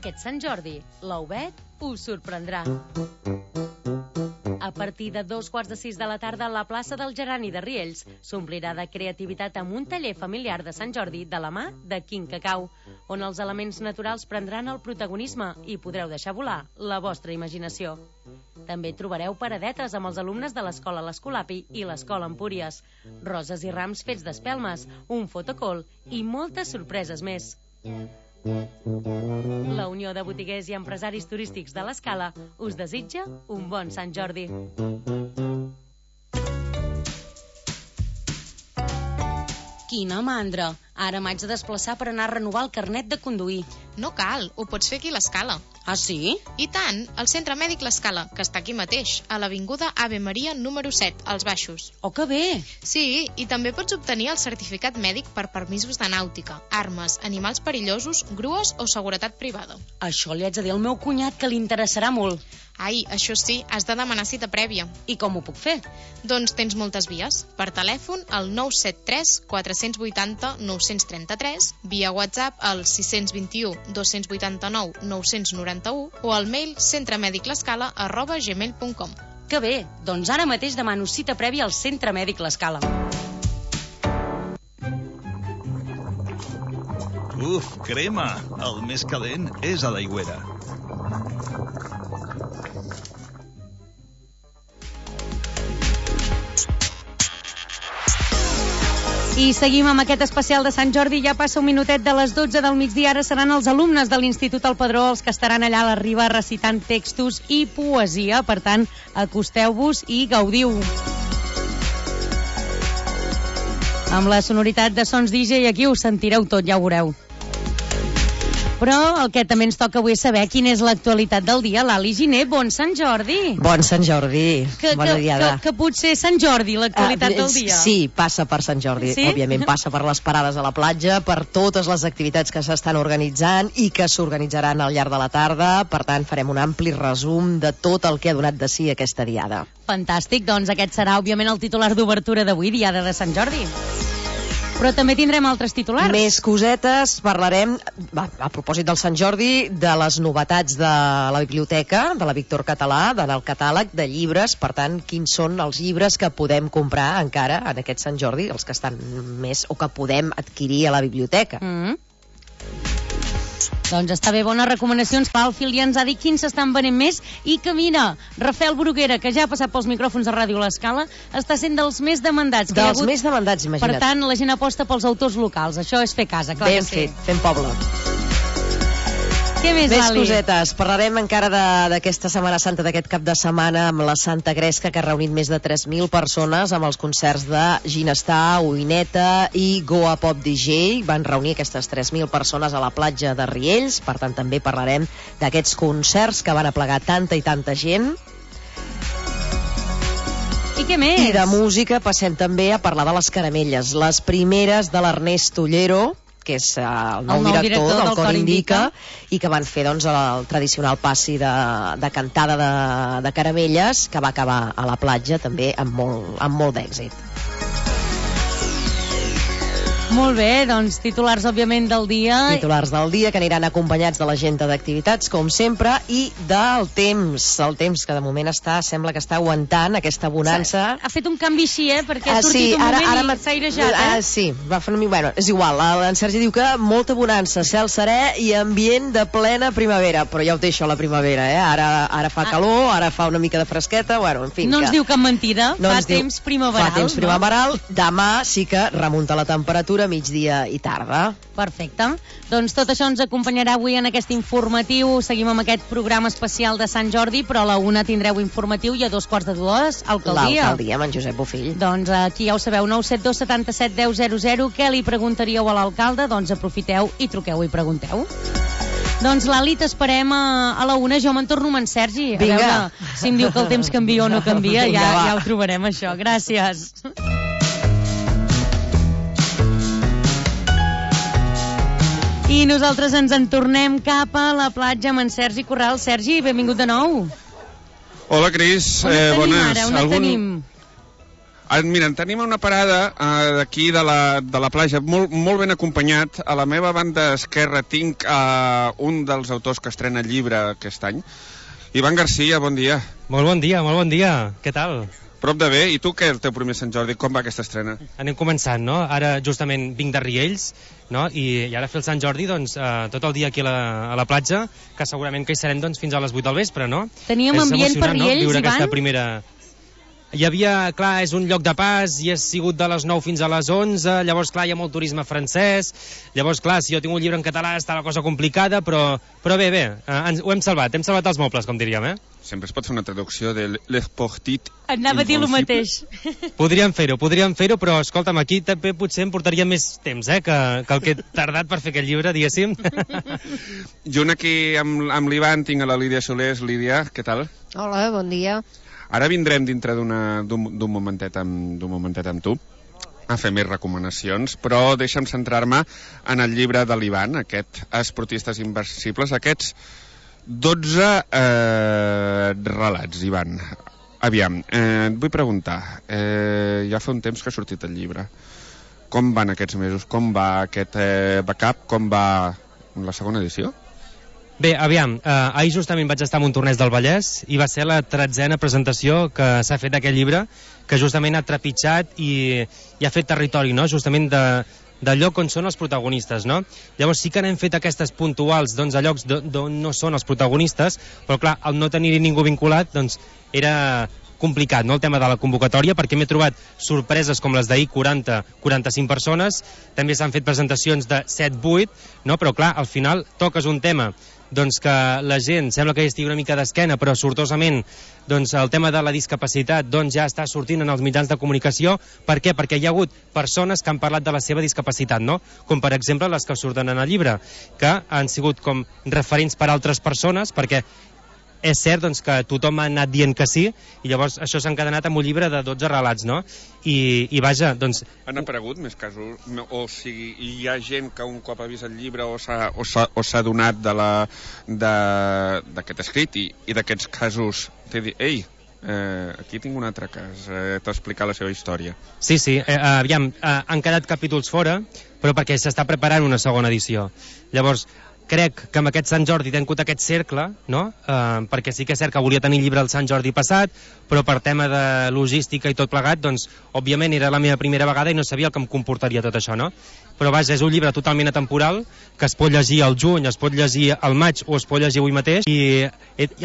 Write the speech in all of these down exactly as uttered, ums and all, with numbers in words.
Aquest Sant Jordi, l'Auvet us sorprendrà. A partir de dos quarts de sis de la tarda, la plaça del Gerani de Riells s'omplirà de creativitat amb un taller familiar de Sant Jordi de la mà de Quin Cacau, on els elements naturals prendran el protagonisme i podreu deixar volar la vostra imaginació. També trobareu paradetes amb els alumnes de l'Escola l'Escolapi i l'Escola Empúries, roses i rams fets d'espelmes, un fotocall i moltes sorpreses més. La Unió de Botiguers i Empresaris Turístics de l'Escala us desitja un bon Sant Jordi. Quina mandra! Ara m'haig de desplaçar per anar a renovar el carnet de conduir. No cal, ho pots fer aquí a l'Escala. Ah, sí? I tant, el Centre Mèdic l'Escala, que està aquí mateix, a l'Avinguda Ave Maria número set, als Baixos. Oh, que bé! Sí, i també pots obtenir el certificat mèdic per permisos de nàutica, armes, animals perillosos, grues o seguretat privada. Això li haig de dir al meu cunyat, que li interessarà molt. Ai, això sí, has de demanar cita prèvia. I com ho puc fer? Doncs tens moltes vies. Per telèfon, al nou set tres quatre vuit zero nou tres tres, via WhatsApp al sis dos u, dos vuit nou, nou nou u o al mail centremediclescala arroba gmail punt com. Que bé, doncs ara mateix demano cita prèvia al Centre Mèdic l'Escala. Uf, crema! El més calent és a l'Aigüera. I seguim amb aquest especial de Sant Jordi. Ja passa un minutet de les dotze del migdia. Ara seran els alumnes de l'Institut El Padró els que estaran allà a la riba recitant textos i poesia. Per tant, acosteu-vos i gaudiu. Amb la sonoritat de Sons D J aquí ho sentireu tot, ja ho veureu. Però el que també ens toca avui és saber quina és l'actualitat del dia. Lali Giner, bon Sant Jordi. Bon Sant Jordi, que, bona que, diada. Que, que potser Sant Jordi, l'actualitat uh, del dia. Sí, passa per Sant Jordi, sí? Òbviament passa per les parades a la platja, per totes les activitats que s'estan organitzant i que s'organitzaran al llarg de la tarda. Per tant, farem un ampli resum de tot el que ha donat de si aquesta diada. Fantàstic, doncs aquest serà òbviament el titular d'obertura d'avui, diada de Sant Jordi. Però també tindrem altres titulars. Més cosetes, parlarem, a, a propòsit del Sant Jordi, de les novetats de la biblioteca, de la Víctor Català, del catàleg de llibres. Per tant, quins són els llibres que podem comprar encara en aquest Sant Jordi, els que estan més o que podem adquirir a la biblioteca. Mm-hmm. Doncs està bé, bones recomanacions. El Fil ja ens ha dit quins s'estan venent més i que mira, Rafael Bruguera, que ja ha passat pels micròfons de Ràdio L'Escala, està sent dels més demandats. Dels hagut... més demandats, imagina't. Per tant, la gent aposta pels autors locals. Això és fer casa, clar ben que sí. fet, fent poble. Què més, Més Lali? cosetes. Parlarem encara d'aquesta Setmana Santa, d'aquest cap de setmana amb la Santa Gresca, que ha reunit més de tres mil persones amb els concerts de Ginestar, Oineta i Goa Pop D J. Van reunir aquestes tres mil persones a la platja de Riells. Per tant, també parlarem d'aquests concerts que van aplegar tanta i tanta gent. I què més? I de música passem també a parlar de les caramelles. Les primeres de l'Ernest Ollero, que és uh, el, nou el nou director, director del, del Cor Indica, Indica, i que van fer doncs, el tradicional passi de, de cantada de, de caramelles, que va acabar a la platja també amb molt, amb molt d'èxit. Molt bé, doncs titulars òbviament del dia. Titulars del dia que aniran acompanyats de l'agenda d'activitats, com sempre, i del temps. El temps que de moment està, sembla que està aguantant aquesta bonança. Ha fet un canvi així, eh? Perquè ha ah, sortit sí, un ara, moment ara i s'ha airejat, eh? Ah, sí, va fer una mica... Bueno, és igual, en Sergi diu que molta bonança, cel serè i ambient de plena primavera, però ja ho deixo a la primavera, eh? Ara, ara fa calor, ara fa una mica de fresqueta, bueno, en fi... No que... ens diu cap mentida, no fa temps diu... primaveral. Fa temps primaveral, no? Demà sí que remunta la temperatura, migdia i tarda. Perfecte. Doncs tot això ens acompanyarà avui en aquest informatiu. Seguim amb aquest programa especial de Sant Jordi, però a la una tindreu informatiu i a dos quarts de dues alcaldia. L'alcaldia amb en Josep Bofill. Doncs aquí ja ho sabeu, nou set dos setanta set deu zero zero. Què li preguntaríeu a l'alcalde? Doncs aprofiteu i truqueu i pregunteu. Doncs Lali, t'esperem a, a la una. Jo me'n torno amb en Sergi. A Vinga. veure si em diu que el temps canvia o no canvia. Vinga, ja, va. ja ho trobarem, això. Gràcies. I nosaltres ens en tornem cap a la platja amb en Sergi Corral. Sergi, benvingut de nou. Hola, Cris. On et eh, tenim bones. ara? On et Algun... tenim? Ah, mira, tenim una parada uh, d'aquí de la, de la platja, molt, molt ben acompanyat. A la meva banda esquerra tinc uh, un dels autors que estrena llibre aquest any. Ivan Garcia, bon dia. Molt bon dia, molt bon dia. Què tal? Prop de bé. I tu què, el teu primer Sant Jordi? Com va aquesta estrena? Anem començant, no? Ara justament vinc de Riells, no? I, i ara fer el Sant Jordi, doncs, eh, tot el dia aquí a la, a la platja, que segurament que hi serem doncs, fins a les vuit del vespre, no? Teníem és ambient per Riells, no? Viure Ivan? aquesta primera... Hi havia, clar, és un lloc de pas i ha sigut de les nou fins a les onze, llavors, clar, hi ha molt turisme francès, llavors, clar, si jo tinc un llibre en català està la cosa complicada, però, però bé, bé, eh, ens, ho hem salvat, hem salvat els mobles, com diríem, eh? Sempre es pot fer una traducció de Les Portites. Anava a dir el mateix. Podríem fer-ho, podríem fer-ho, però escolta'm, aquí també potser em portaria més temps, eh, que, que el que he tardat per fer aquest llibre, diguéssim. Junt aquí amb, amb l'Ivan tinc a la Lídia Solés. Lídia, què tal? Hola, bon dia. Ara vindrem dintre d'un momentet, amb, momentet amb tu a fer més recomanacions, però deixa'm centrar-me en el llibre de l'Ivan, aquest Esportistes Inversibles, aquests dotze eh, relats, Ivan. Aviam, eh, et vull preguntar, eh, ja fa un temps que ha sortit el llibre. Com van aquests mesos? Com va aquest eh, backup? Com va la segona edició? Bé, aviam, eh, ahir justament vaig estar a Montornès del Vallès i va ser la tretzena presentació que s'ha fet d'aquest llibre, que justament ha trepitjat i, i ha fet territori, no?, justament de, de lloc on són els protagonistes, no? Llavors sí que n'hem fet aquestes puntuals, doncs, a llocs d'on no són els protagonistes, però clar, al no tenir ningú vinculat, doncs, era complicat, no?, el tema de la convocatòria, perquè m'he trobat sorpreses com les d'ahir, quaranta a quaranta-cinc persones, també s'han fet presentacions de set a vuit, no?, però clar, al final toques un tema doncs que la gent sembla que hi estigui una mica d'esquena, però sortosament doncs el tema de la discapacitat doncs ja està sortint en els mitjans de comunicació. Per què? Perquè hi ha hagut persones que han parlat de la seva discapacitat, no? Com per exemple les que surten en el llibre, que han sigut com referents per a altres persones, perquè és cert doncs, que tothom ha anat dient que sí, i llavors això s'ha encadenat amb un llibre de dotze relats, no? I, i vaja, doncs... Han aparegut més casos? O sigui, hi ha gent que un cop ha vist el llibre o s'ha o s'ha, o s'ha donat de la, de, d'aquest escrit i, i d'aquests casos t'he dit, ei, eh, aquí tinc un altre cas, eh, t'ha explicat la seva història. Sí, sí, eh, aviam, eh, han quedat capítols fora, però perquè s'està preparant una segona edició. Llavors, crec que amb aquest Sant Jordi he tingut aquest cercle, no? Eh, perquè sí que és cert que volia tenir llibre el Sant Jordi passat, però per tema de logística i tot plegat, doncs, òbviament era la meva primera vegada i no sabia el que em comportaria tot això, no? Però vaja, és un llibre totalment atemporal, que es pot llegir al juny, es pot llegir al maig o es pot llegir avui mateix, i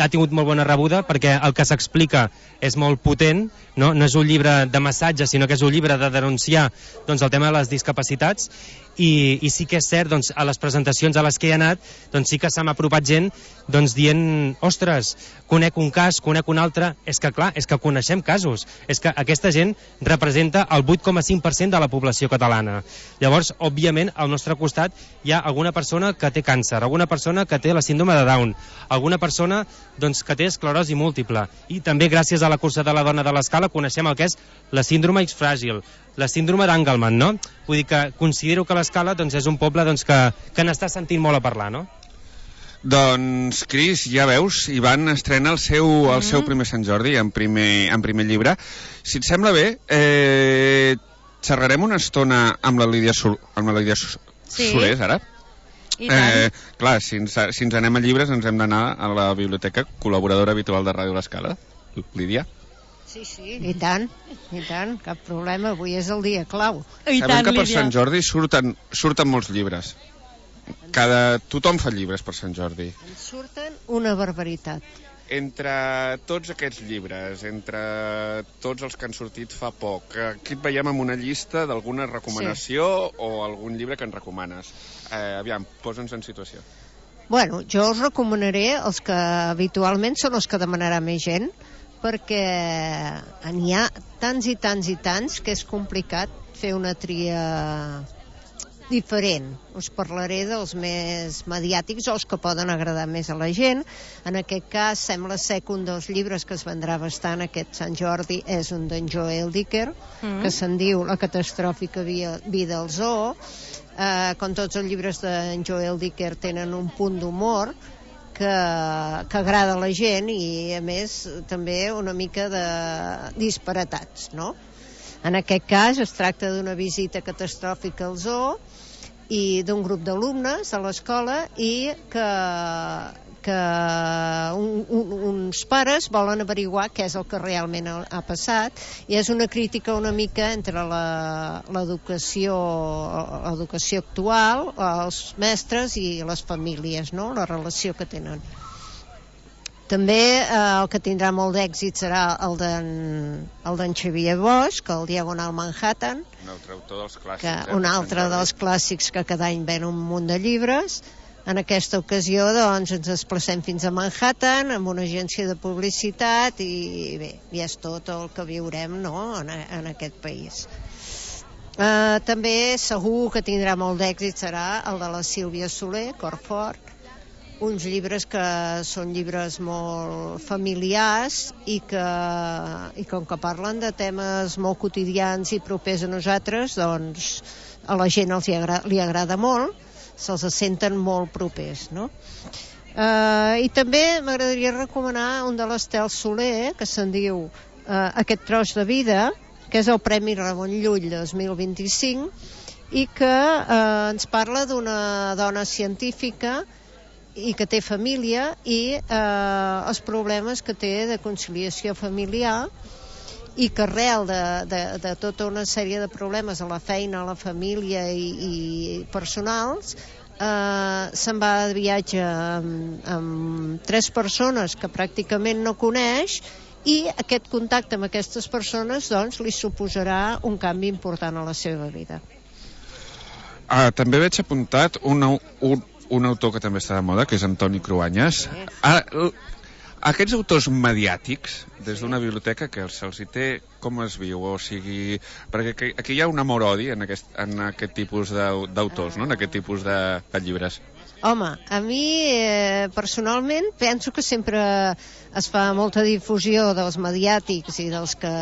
ha tingut molt bona rebuda perquè el que s'explica és molt potent, no? No és un llibre de massatge, sinó que és un llibre de denunciar doncs, el tema de les discapacitats, i, i sí que és cert, doncs, a les presentacions a les que he anat, doncs sí que se m'ha apropat gent doncs, dient, ostres, conec un cas, conec un altre, és que clar, és que coneixem casos, és que aquesta gent representa el vuit coma cinc per cent de la població catalana. Llavors, òbviament, al nostre costat hi ha alguna persona que té càncer, alguna persona que té la síndrome de Down, alguna persona doncs, que té esclerosi múltiple, i també gràcies a la cursa de la dona de l'Escala coneixem el que és la síndrome X fràgil, la síndrome d'Angelman, no? Vull dir que considero que l'Escala doncs, és un poble doncs, que, que n'està sentint molt a parlar, no? Doncs, Cris, ja veus, Ivan estrena el seu, el seu primer Sant Jordi en primer, en primer llibre. Si et sembla bé, eh, xerrarem una estona amb la Lídia, Sol, amb la Lídia Sol, sí. Solés, ara? I tant. Eh, clar, si ens, si ens anem a llibres ens hem d'anar a la biblioteca, col·laboradora habitual de Ràdio L'Escala. Lídia? Sí, sí, i tant, i tant, cap problema, avui és el dia clau. I Sabem tant, que per Lídia. Sant Jordi surten, surten molts llibres. Cada... Tothom fa llibres per Sant Jordi. En surten una barbaritat. Entre tots aquests llibres, entre tots els que han sortit fa poc, aquí et veiem amb una llista d'alguna recomanació sí. o algun llibre que ens recomanes. Eh, aviam, posa'ns en situació. Bueno, jo us recomanaré els que habitualment són els que demanarà més gent, perquè n'hi ha tants i tants i tants que és complicat fer una tria diferent. Us parlaré dels més mediàtics o els que poden agradar més a la gent. En aquest cas sembla ser que un dels llibres que es vendrà bastant aquest Sant Jordi és un d'en Joel Dicker, mm. que se'n diu La catastròfica vida al zoo. Eh, com tots els llibres d'en Joel Dicker tenen un punt d'humor que, que agrada a la gent i a més també una mica de disparatats, no? En aquest cas es tracta d'una visita catastròfica al zoo i d'un grup d'alumnes a l'escola i que, que un, un, uns pares volen averiguar què és el que realment ha, ha passat, i és una crítica una mica entre l'educació l'educació actual, els mestres i les famílies, no? La relació que tenen. També eh, el que tindrà molt d'èxit serà el d'en el d'en Xavier Bosch, el Diagonal Manhattan, un altre autor dels clàssics, que, eh, un altre dels clàssics que cada any ven un munt de llibres. En aquesta ocasió doncs, ens desplacem fins a Manhattan amb una agència de publicitat i bé, i és tot el que viurem, no?, en, en aquest país. Eh, també segur que tindrà molt d'èxit serà el de la Sílvia Soler, Corfort, uns llibres que són llibres molt familiars i que, i com que parlen de temes molt quotidians i propers a nosaltres, doncs a la gent els hi agrada, li agrada molt, se'ls senten molt propers, no? Eh, I també m'agradaria recomanar un de l'Estel Soler, que se'n diu eh, Aquest tros de vida, que és el Premi Ramon Llull dos mil vint-i-cinc, i que eh, ens parla d'una dona científica i que té família i eh, els problemes que té de conciliació familiar, i que arrel de, de, de tota una sèrie de problemes a la feina, a la família i, i personals, eh, se'n va de viatge amb, amb tres persones que pràcticament no coneix, i aquest contacte amb aquestes persones doncs li suposarà un canvi important a la seva vida. Ah, també veig apuntat un, un un autor que també està de moda, que és Antoni Cruanyes. Ah, aquests autors mediàtics, des d'una biblioteca, que se'ls hi té, com es viu? O sigui, perquè aquí hi ha un amor-odi en aquest, en aquest tipus d'autors, no?, en aquest tipus de, de llibres. Home, a mi eh, personalment penso que sempre es fa molta difusió dels mediàtics i dels que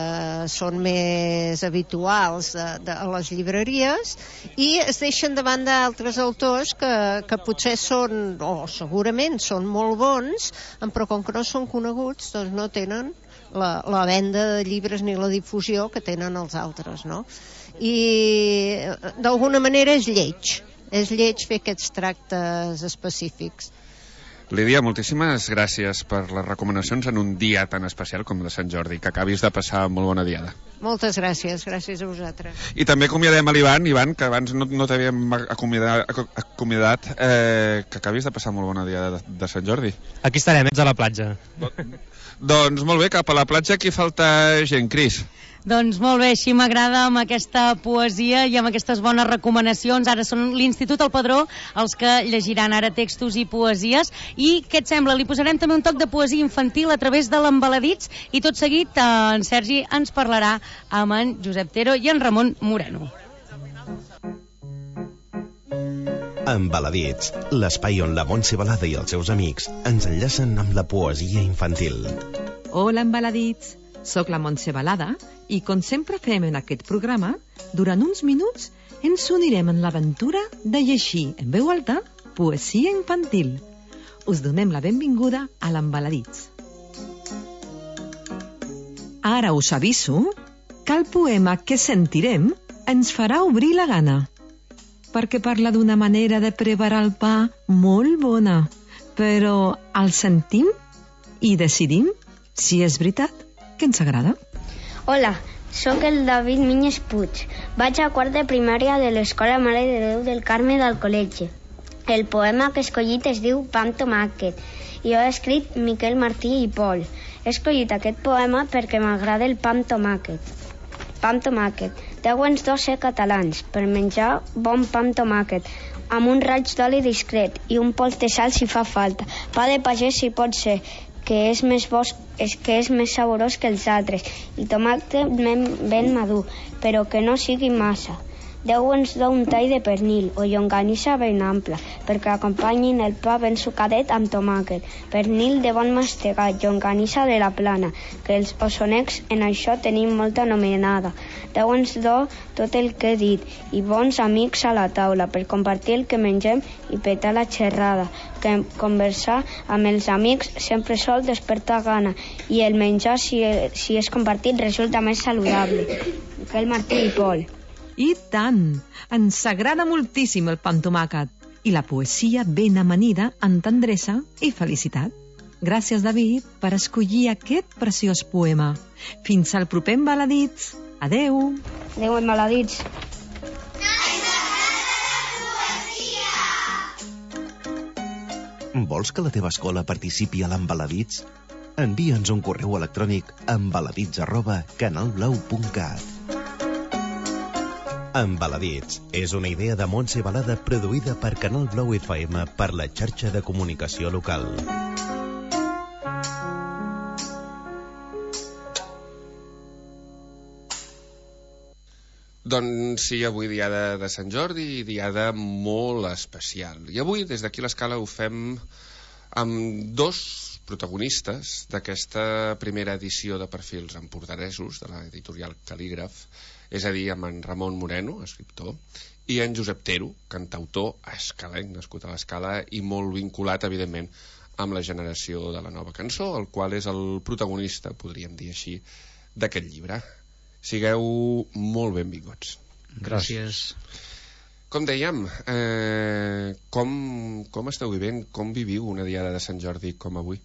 són més habituals de, de, a les llibreries, i es deixen de banda altres autors que, que potser són, o segurament són molt bons, però com que no són coneguts, doncs no tenen la, la venda de llibres ni la difusió que tenen els altres, no? I d'alguna manera és lleig. És lleig fer aquests tractes específics. Lídia, moltíssimes gràcies per les recomanacions en un dia tan especial com de Sant Jordi. Que acabis de passar molt bona diada. Moltes gràcies, gràcies a vosaltres. I també acomiadem a l'Ivan, Ivan, que abans no, no t'havíem acomiadat, acomiadat eh, que acabis de passar molt bona diada de, de Sant Jordi. Aquí estarem, ets a la platja. Doncs molt bé, cap a la platja aquí falta gent, Cris. Doncs molt bé, així m'agrada amb aquesta poesia i amb aquestes bones recomanacions. Ara són l'Institut El Padró els que llegiran ara textos i poesies. I què et sembla? Li posarem també un toc de poesia infantil a través de l'Embaladits, i tot seguit eh, en Sergi ens parlarà amb en Josep Tero i en Ramon Moreno. Embaladits, l'espai on la Montse Balada i els seus amics ens enllacen amb la poesia infantil. Hola, Embaladits. Soc la Montse Balada i, com sempre fem en aquest programa, durant uns minuts ens unirem en l'aventura de llegir en veu alta poesia infantil. Us donem la benvinguda a l'Embaladits. Ara us aviso que el poema que sentirem ens farà obrir la gana, perquè parla d'una manera de preparar el pa molt bona, però el sentim i decidim si és veritat que ens agrada. Hola, sóc el David Minyes Puig. Vaig a quart de primària de l'Escola Mare de Déu del Carme del col·legi. El poema que he escollit es diu Pa amb tomàquet i ho ha escrit Miquel Martí i Pol. He escollit aquest poema perquè m'agrada el pa amb tomàquet. Pa amb tomàquet. Deuen ser catalans per menjar bon pa amb tomàquet, amb un raig d'oli discret i un pols de sal si fa falta. Pa de pagès si pot ser, que és més bo, és que és més saborós que els altres, i tomàquet ben madur, però que no sigui massa. Déu ens do un tall de pernil o llonganissa ben ampla, perquè acompanyin el pa ben sucadet amb tomàquet. Pernil de bon mastegat, llonganissa de la plana, que els ossonecs en això tenim molta anomenada. Déu ens do tot el que he dit, i bons amics a la taula, per compartir el que mengem i petar la xerrada, que conversar amb els amics sempre sol despertar gana, i el menjar, si, si és compartit, resulta més saludable. que el Martí i Pol. I tant! Ens agrada moltíssim el pa amb tomàquet i la poesia ben amanida amb tendresa i felicitat. Gràcies, David, per escollir aquest preciós poema. Fins al proper Embaladits. Adeu! Adeu, Embaladits. Vols que la teva escola participi a l'Embaladits? Envia'ns un correu electrònic a embaladits arroba canalblau punt cat. Embaladits és una idea de Montse Balada produïda per Canal Blau F M per la xarxa de comunicació local. Doncs sí, avui diada de Sant Jordi, diada molt especial. I avui, des d'aquí a l'Escala, ho fem amb dos protagonistes d'aquesta primera edició de Perfils empordanesos de l'editorial Cal·lígraf, és a dir, amb en Ramon Moreno, escriptor, i en Josep Tero, cantautor escalenc, nascut a l'Escala i molt vinculat, evidentment, amb la generació de la nova cançó, el qual és el protagonista, podríem dir així, d'aquest llibre. Sigueu molt benvinguts. Gràcies. Com dèiem, eh, com, com esteu vivint, com viviu una diada de Sant Jordi com avui?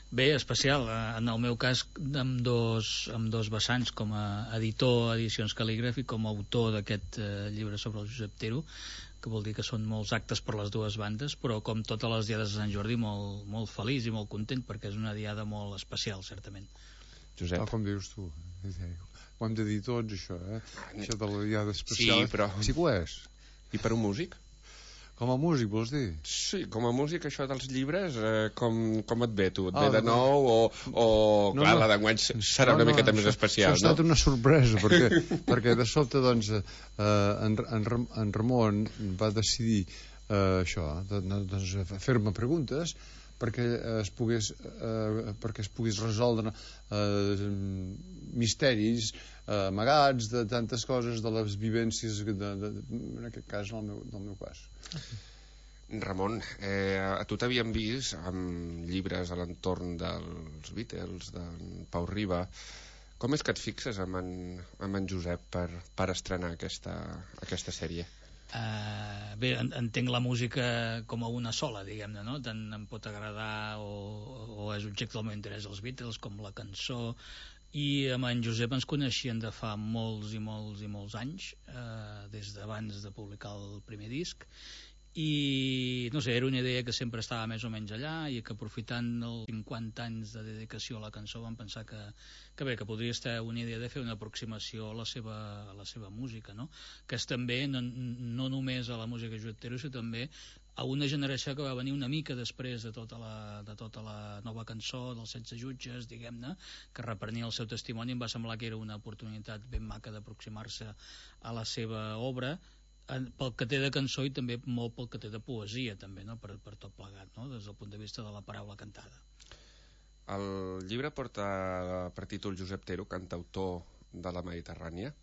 Bé, especial. En el meu cas, amb dos, amb dos vessants, com a editor Edicions Cal·lígraf i com a autor d'aquest eh, llibre sobre el Josep Tero, que vol dir que són molts actes per les dues bandes, però com totes les diades de Sant Jordi, molt, molt feliç i molt content, perquè és una diada molt especial, certament. Josep. Tal com dius tu. Ho hem de dir tots, això, eh? Això de la diada especial. Sí, però... Sí que ho és. I per un músic? Com a músic, vols dir? Sí, com a músic, això dels llibres, eh, com, com et ve, tu? Et ah, ve de nou o... o no, clar, no. la d'enguany serà no, una miqueta no, més especial, això, això no? ha estat una sorpresa, perquè, perquè de sobte, doncs, eh, en, en, en Ramon va decidir eh, això, doncs, fer-me preguntes perquè es pogués, eh, perquè es pogués resoldre eh, misteris eh, amagats de tantes coses, de les vivències, de, de, en aquest cas, en el meu, en el meu cas. Ramon, eh, a tu t'havíem vist amb llibres a l'entorn dels Beatles, d'en Pau Riba. Com és que et fixes amb en, amb en Josep per, per estrenar aquesta, aquesta sèrie? Uh, bé, entenc la música com a una sola, diguem-ne, no? Tant em pot agradar o, o és objecte del meu interès els Beatles com la cançó, i amb en Josep ens coneixien de fa molts i molts i molts anys, uh, des d'abans de publicar el primer disc, i no sé, era una idea que sempre estava més o menys allà i que aprofitant els cinquanta anys de dedicació a la cançó vam pensar que, que bé, que podria estar una idea de fer una aproximació a la seva, a la seva música, no? Que és també no, no només a la música de Josep Tero, sinó també a una generació que va venir una mica després de tota la, de tota la nova cançó dels setze jutges, diguem-ne, que reprenia el seu testimoni. Em va semblar que era una oportunitat ben maca d'aproximar-se a la seva obra, pel que té de cançó i també molt pel que té de poesia també, no? per, per tot plegat, no? Des del punt de vista de la paraula cantada. El llibre porta per títol Josep Tero, cantautor de la Mediterrània.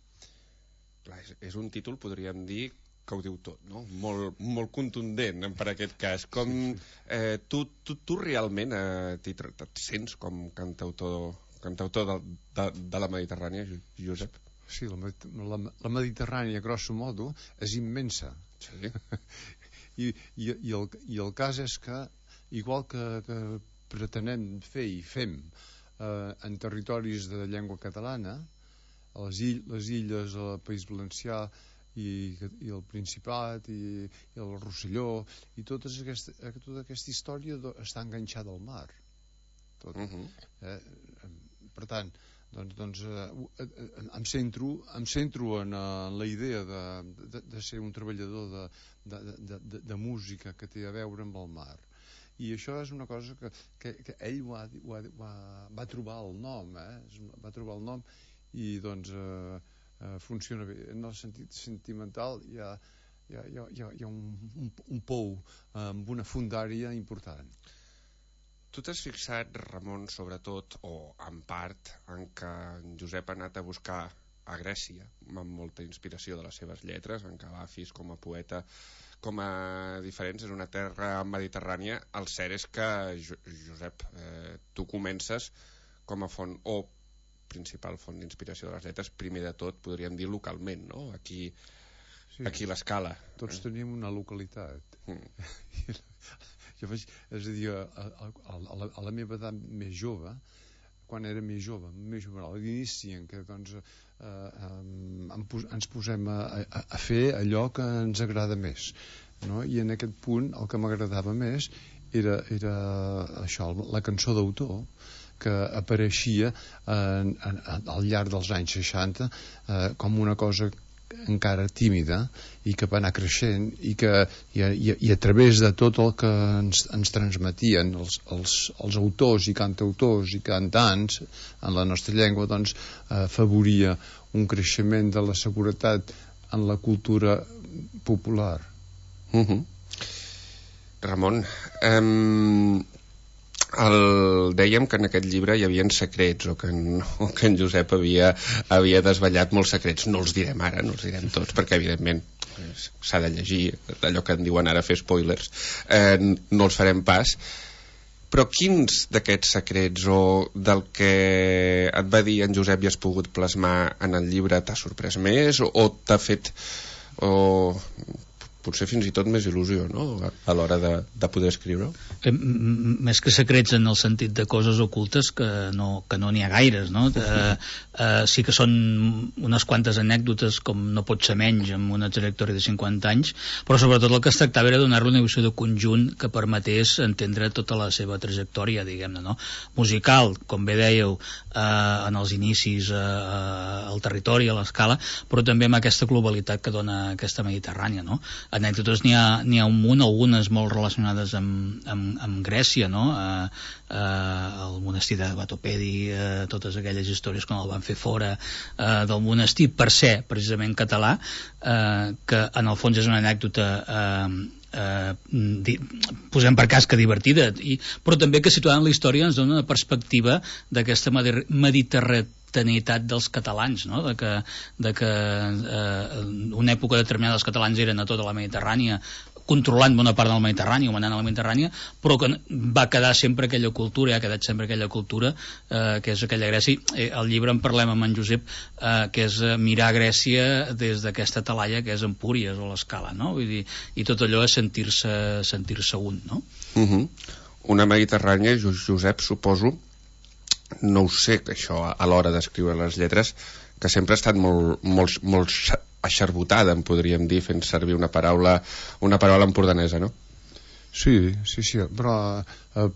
Clar, és, és un títol, podríem dir, que ho diu tot, no? Molt, molt contundent per aquest cas. Com, eh, tu, tu, tu realment eh, et sents com cantautor, cantautor de, de, de la Mediterrània, Josep? Sí, la, la, la Mediterrània, grosso modo, és immensa. Sí. I, i, i, el, I el cas és que, igual que, que pretenem fer i fem eh, en territoris de llengua catalana, a les, ill, les illes, al País Valencià i, i el Principat i, i el Rosselló, i tota aquesta, tota aquesta història està enganxada al mar. Tot. Uh -huh. eh, per tant, doncs, doncs eh, em centro, em centro en, en la idea de, de, de ser un treballador de, de, de, de, de música que té a veure amb el mar, i això és una cosa que, que, que ell ho ha, ho ha, va, va trobar el nom, eh? va trobar el nom i doncs eh, eh, funciona bé. En el sentit sentimental hi ha, hi ha, hi ha, hi ha un, un, un pou amb una fundària important. Tu t'has fixat, Ramon, sobretot, o en part, en què en Josep ha anat a buscar a Grècia, amb molta inspiració de les seves lletres, en Calafis com a poeta, com a diferents, és una terra mediterrània. El cert és que, Josep, eh, tu comences com a font, o principal font d'inspiració de les lletres, primer de tot, podríem dir localment, no? Aquí, sí, aquí l'Escala. Tots tenim una localitat. Mm. Jo vaig, és a dir, a, a, a, la, a la meva edat més jove, quan era més jove, més jove, a l'inici en què doncs, eh, eh, ens posem a, a, a fer allò que ens agrada més, no? I en aquest punt el que m'agradava més era, era això, la cançó d'autor, que apareixia en, en, al llarg dels anys seixanta eh, com una cosa encara tímida i que va anar creixent i que i a, i a través de tot el que ens, ens transmetien els, els, els autors i cantautors i cantants en la nostra llengua, doncs eh, favoria un creixement de la seguretat en la cultura popular. Uh-huh. Ramon, um, el, dèiem que en aquest llibre hi havia secrets, o que en, o que en Josep havia, havia desvetllat molts secrets. No els direm ara, no els direm tots, perquè evidentment s'ha de llegir allò que en diuen ara fer spoilers, eh, no els farem pas. Però quins d'aquests secrets o del que et va dir en Josep i has pogut plasmar en el llibre t'ha sorprès més o, o t'ha fet o potser fins i tot més il·lusió, no?, a l'hora de, de poder escriure? Eh, més que secrets en el sentit de coses ocultes, que no que no n'hi ha gaires, no? Eh, eh, sí que són unes quantes anècdotes, com no pot ser menys amb una trajectòria de cinquanta anys, però sobretot el que es tractava era donar-li una visió de conjunt que permetés entendre tota la seva trajectòria, diguem-ne, no? Musical, com bé dèieu, eh, en els inicis eh, al territori, a l'Escala, però també amb aquesta globalitat que dona aquesta Mediterrània, no? Anècdotes n'hi ha, n'hi ha un munt, algunes molt relacionades amb, amb, amb Grècia, no? Eh, eh, el monestir de Batopedi, eh, totes aquelles històries quan el van fer fora eh, del monestir per ser precisament català, eh, que en el fons és una anècdota eh, eh, di, posem per cas que divertida, i, però també que situant la història ens dona una perspectiva d'aquesta mediterrània dels catalans, no? De que, de que eh, una època determinada els catalans eren a tota la Mediterrània, controlant bona part del Mediterrani o manant a la Mediterrània, però que va quedar sempre aquella cultura, i ha quedat sempre aquella cultura eh, que és aquella Grècia. Eh, al llibre en parlem amb en Josep, eh, que és mirar Grècia des d'aquesta talaia que és Empúries o l'Escala, no? Vull dir, i tot allò és sentir-se sentir-se un, no? Uh-huh. Una Mediterrània, Josep, suposo, no ho sé, això a l'hora d'escriure les lletres, que sempre ha estat molt, molt, molt aixarbotada, en podríem dir, fent servir una paraula una paraula empordanesa, no? Sí, sí, sí, però eh,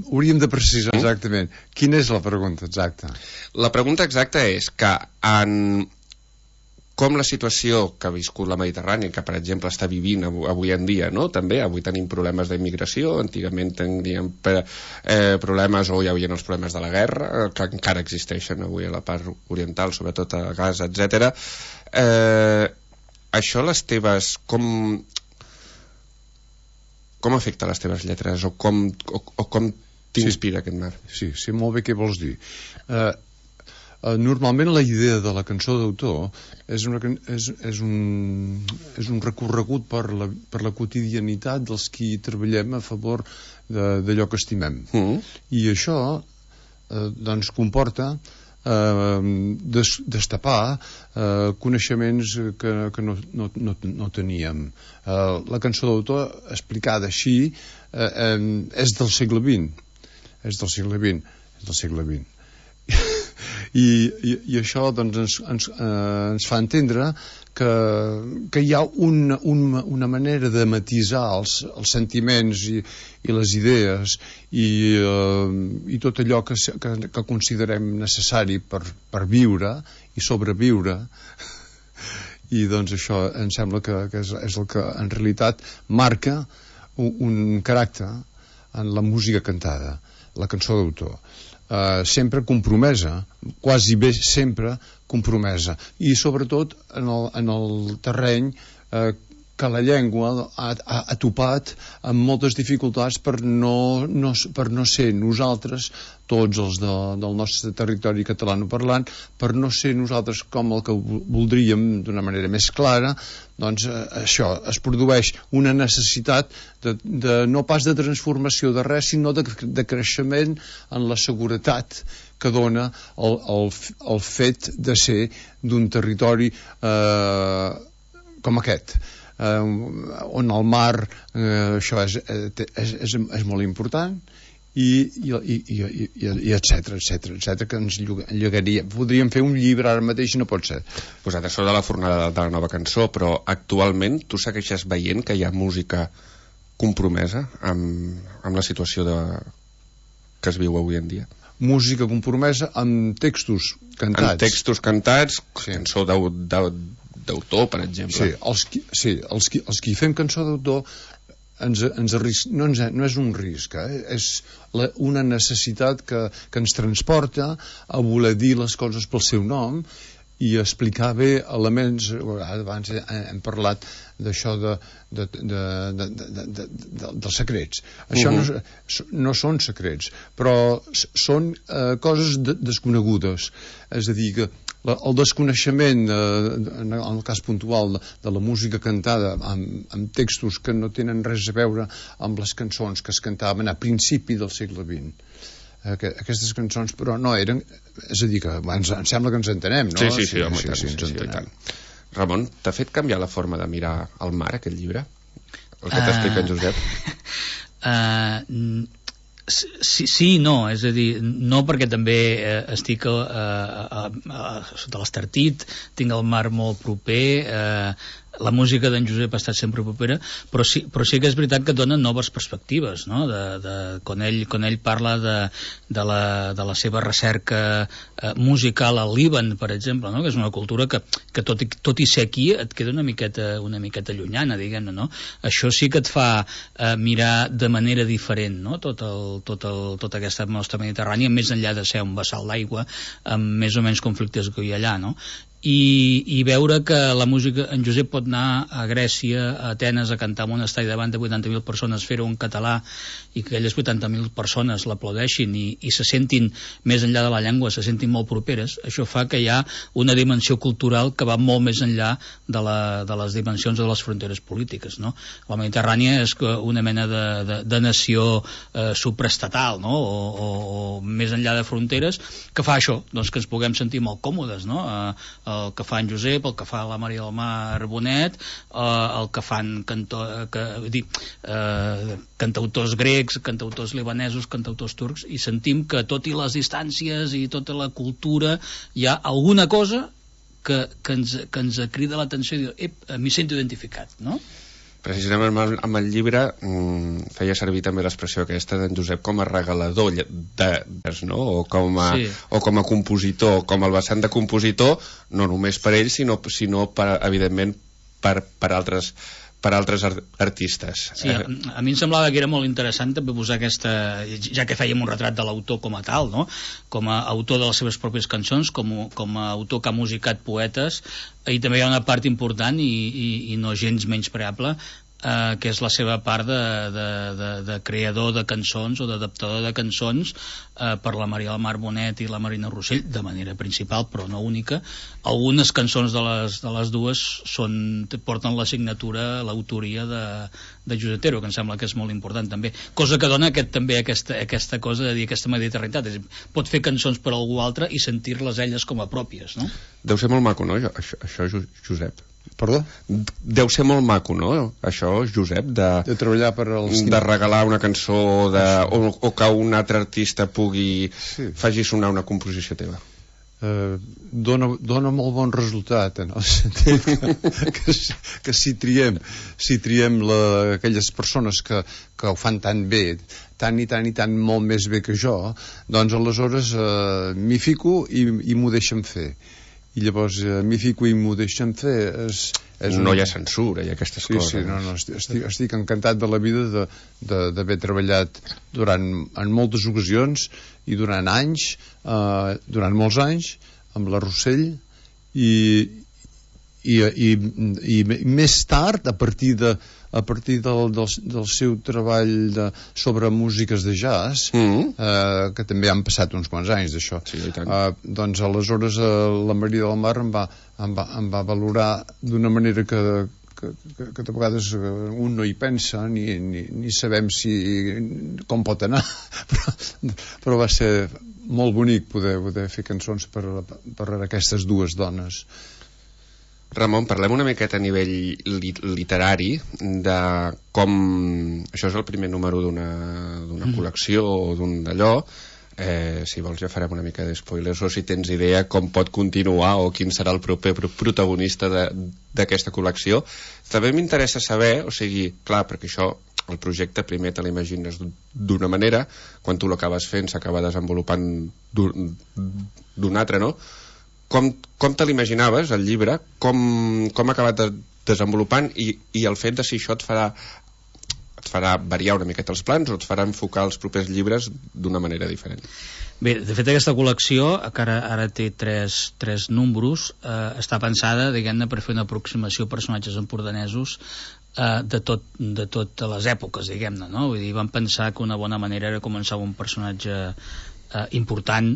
hauríem de precisar exactament. Quina és la pregunta exacta? La pregunta exacta és que en com la situació que ha viscut la Mediterrània, que per exemple està vivint avui en dia, no? També avui tenim problemes d'immigració, antigament teníem eh, problemes, o hi havia els problemes de la guerra, que encara existeixen avui a la part oriental, sobretot a Gaza, etcètera. Eh, això les teves, com com afecta les teves lletres, o com, o, o com t'inspira sí, aquest mar? Sí, sí, molt bé què vols dir. Eh, Uh, normalment la idea de la cançó d'autor és, una, és, és, un, és un recorregut per la, per la quotidianitat dels qui treballem a favor d'allò que estimem. Mm. I això uh, doncs comporta uh, des, destapar uh, coneixements que, que no, no, no, no teníem. Uh, la cançó d'autor, explicada així, uh, um, és del segle vint. És del segle vint. És del segle vint. I, i, i això doncs, ens, ens, eh, ens fa entendre que, que hi ha una, una, una manera de matisar els, els sentiments i, i les idees i, eh, i tot allò que, que, que considerem necessari per, per viure i sobreviure. I doncs això em sembla que, que és, és el que en realitat marca un, un caràcter en la música cantada, la cançó d'autor. Uh, sempre compromesa, quasi bé sempre compromesa, i sobretot en el, en el terreny uh, que la llengua ha, ha, ha topat amb moltes dificultats per no, no, per no ser nosaltres, tots els de, del nostre territori catalanoparlant, per no ser nosaltres com el que voldríem d'una manera més clara. Doncs eh, això, es produeix una necessitat de, de, no pas de transformació de res, sinó de, de creixement en la seguretat que dona el, el, el fet de ser d'un territori eh, com aquest, eh, on el mar, eh, això és, és, és, és molt important, i, i, i, i, i, i etcètera, etcètera, etcètera, que ens llegaria. Podríem fer un llibre ara mateix i no pot ser. Posat això de la fornada de la nova cançó, però actualment tu segueixes veient que hi ha música compromesa amb, amb la situació de, que es viu avui en dia? Música compromesa amb textos cantats. Amb textos cantats, sí. Cançó d'autor, per exemple. Sí, els qui, sí els, qui, els qui fem cançó d'autor ens, ens arris... no, ens, no és un risc, eh? És la, una necessitat que, que ens transporta a voler dir les coses pel seu nom i explicar bé elements. Abans hem parlat d'això de, de, de, de, de, de, de, dels secrets. Això uh-huh. no, no són secrets, però són eh, coses de, desconegudes. És a dir, que la, el desconeixement, eh, en el cas puntual de, de la música cantada amb, amb textos que no tenen res a veure amb les cançons que es cantaven a principi del segle vint. Aquestes cançons, però no eren, és a dir, que ens, ens sembla que ens entenem, no? Sí, sí, sí, home, sí, tant, sí, sí, sí, tant. Ramon, t'ha fet canviar la forma de mirar el mar, aquest llibre? El que t'explica en Josep? Uh, sí, sí, no, és a dir, no, perquè també eh, estic a, a, a, a, sota l'Estartit, tinc el mar molt proper, eh, la música d'en Josep ha estat sempre propera, però sí, però sí que és veritat que dona noves perspectives, no? De, de, quan, ell, quan ell parla de, de, la, de la seva recerca eh, musical al Líban, per exemple, no? Que és una cultura que, que tot, i, tot i ser aquí et queda una miqueta, una miqueta llunyana, diguem-ne, no? Això sí que et fa eh, mirar de manera diferent, no? Tot el, tot el, tota aquesta nostra Mediterrània, més enllà de ser un vessal d'aigua, amb més o menys conflictes que hi ha allà, no? I, i veure que la música, en Josep pot anar a Grècia, a Atenes, a cantar en un estadi davant de vuitanta mil persones, fer-ho en català, i que aquelles vuitanta mil persones l'aplaudeixin i, i se sentin, més enllà de la llengua, se sentin molt properes. Això fa que hi ha una dimensió cultural que va molt més enllà de, la, de les dimensions de les fronteres polítiques, no? La Mediterrània és una mena de, de, de nació eh, supraestatal, no? O, o, o més enllà de fronteres, que fa això, doncs que ens puguem sentir molt còmodes, no? Eh, el que fa en Josep, el que fa la Maria del Mar Bonet, eh, el que fan canto, que, dir, eh, cantautors grecs, cantautors libanesos, cantautors turcs, i sentim que tot i les distàncies i tota la cultura hi ha alguna cosa que, que, ens, que ens crida l'atenció i diu, ep, m'hi sento identificat, no? Precisament amb el, amb el llibre mm, feia servir també l'expressió aquesta d'en Josep com a regalador de, de, no? o, com a, sí. o com a compositor, com el vessant de compositor, no només per ell, sinó, sinó per, evidentment per, per altres per altres art artistes. Sí, a, a mi em semblava que era molt interessant també posar aquesta, ja que fèiem un retrat de l'autor com a tal, no? Com a autor de les seves pròpies cançons, com, com a autor que ha musicat poetes, i també hi ha una part important i, i, i no gens menyspreable, eh, que és la seva part de, de, de, de creador de cançons o d'adaptador de cançons eh, per la Maria del Mar Bonet i la Marina Rossell, de manera principal però no única. Algunes cançons de les, de les dues són, porten la signatura, l'autoria de, de Josep Otero, que em sembla que és molt important també, cosa que dona aquest, també aquesta, aquesta cosa de dir aquesta mediterranitat, és, pot fer cançons per a algú altre i sentir-les elles com a pròpies, no? Deu ser molt maco, no? Això, això Josep. Perdó? Deu ser molt maco, no? Això, Josep, de, de treballar per als... de regalar una cançó de, o, o que un altre artista pugui sí. faci sonar una composició teva. Uh, dona, dona molt bon resultat en el sentit que, que, que si triem si triem la, aquelles persones que, que ho fan tan bé, tant i tant i tant molt més bé que jo, doncs aleshores uh, m'hi fico i, i m'ho deixen fer. I llavors uh, m'hi fico i m'ho deixen fer. És, és no un... hi ha censura i aquestes sí, coses. Sí, no, no, estic, estic encantat de la vida d'haver treballat durant, en moltes ocasions i durant anys, eh, durant molts anys, amb la Rossell, i, i, i, i més tard, a partir de a partir del, del, del seu treball de, sobre músiques de jazz, mm-hmm. eh, que també han passat uns quants anys d'això, sí, eh, doncs aleshores eh, la Maria del Mar em va, em va, em va valorar d'una manera que, que, que, que de vegades un no hi pensa ni, ni, ni sabem si com pot anar però, però va ser molt bonic poder, poder fer cançons per, per aquestes dues dones. Ramon, parlem una miqueta a nivell li literari de com... Això és el primer número d'una mm. col·lecció o d'un d'allò. Eh, si vols ja farem una mica de spoilers, o si tens idea com pot continuar o quin serà el proper protagonista d'aquesta col·lecció. També m'interessa saber, o sigui, clar, perquè això, el projecte primer te l'imagines d'una manera, quan tu l'acabes fent s'acaba desenvolupant d'una altra, no? Com, com te l'imaginaves, el llibre, com, com ha acabat de, desenvolupant i, i el fet de si això et farà, et farà variar una miqueta els plans o et farà enfocar els propers llibres d'una manera diferent? Bé, de fet aquesta col·lecció, que ara, ara té tres, tres números, eh, està pensada, diguem-ne, per fer una aproximació a personatges empordanesos eh, de, tot, de totes les èpoques, diguem-ne, no? Vull dir, vam pensar que una bona manera era començar amb un personatge Eh, important,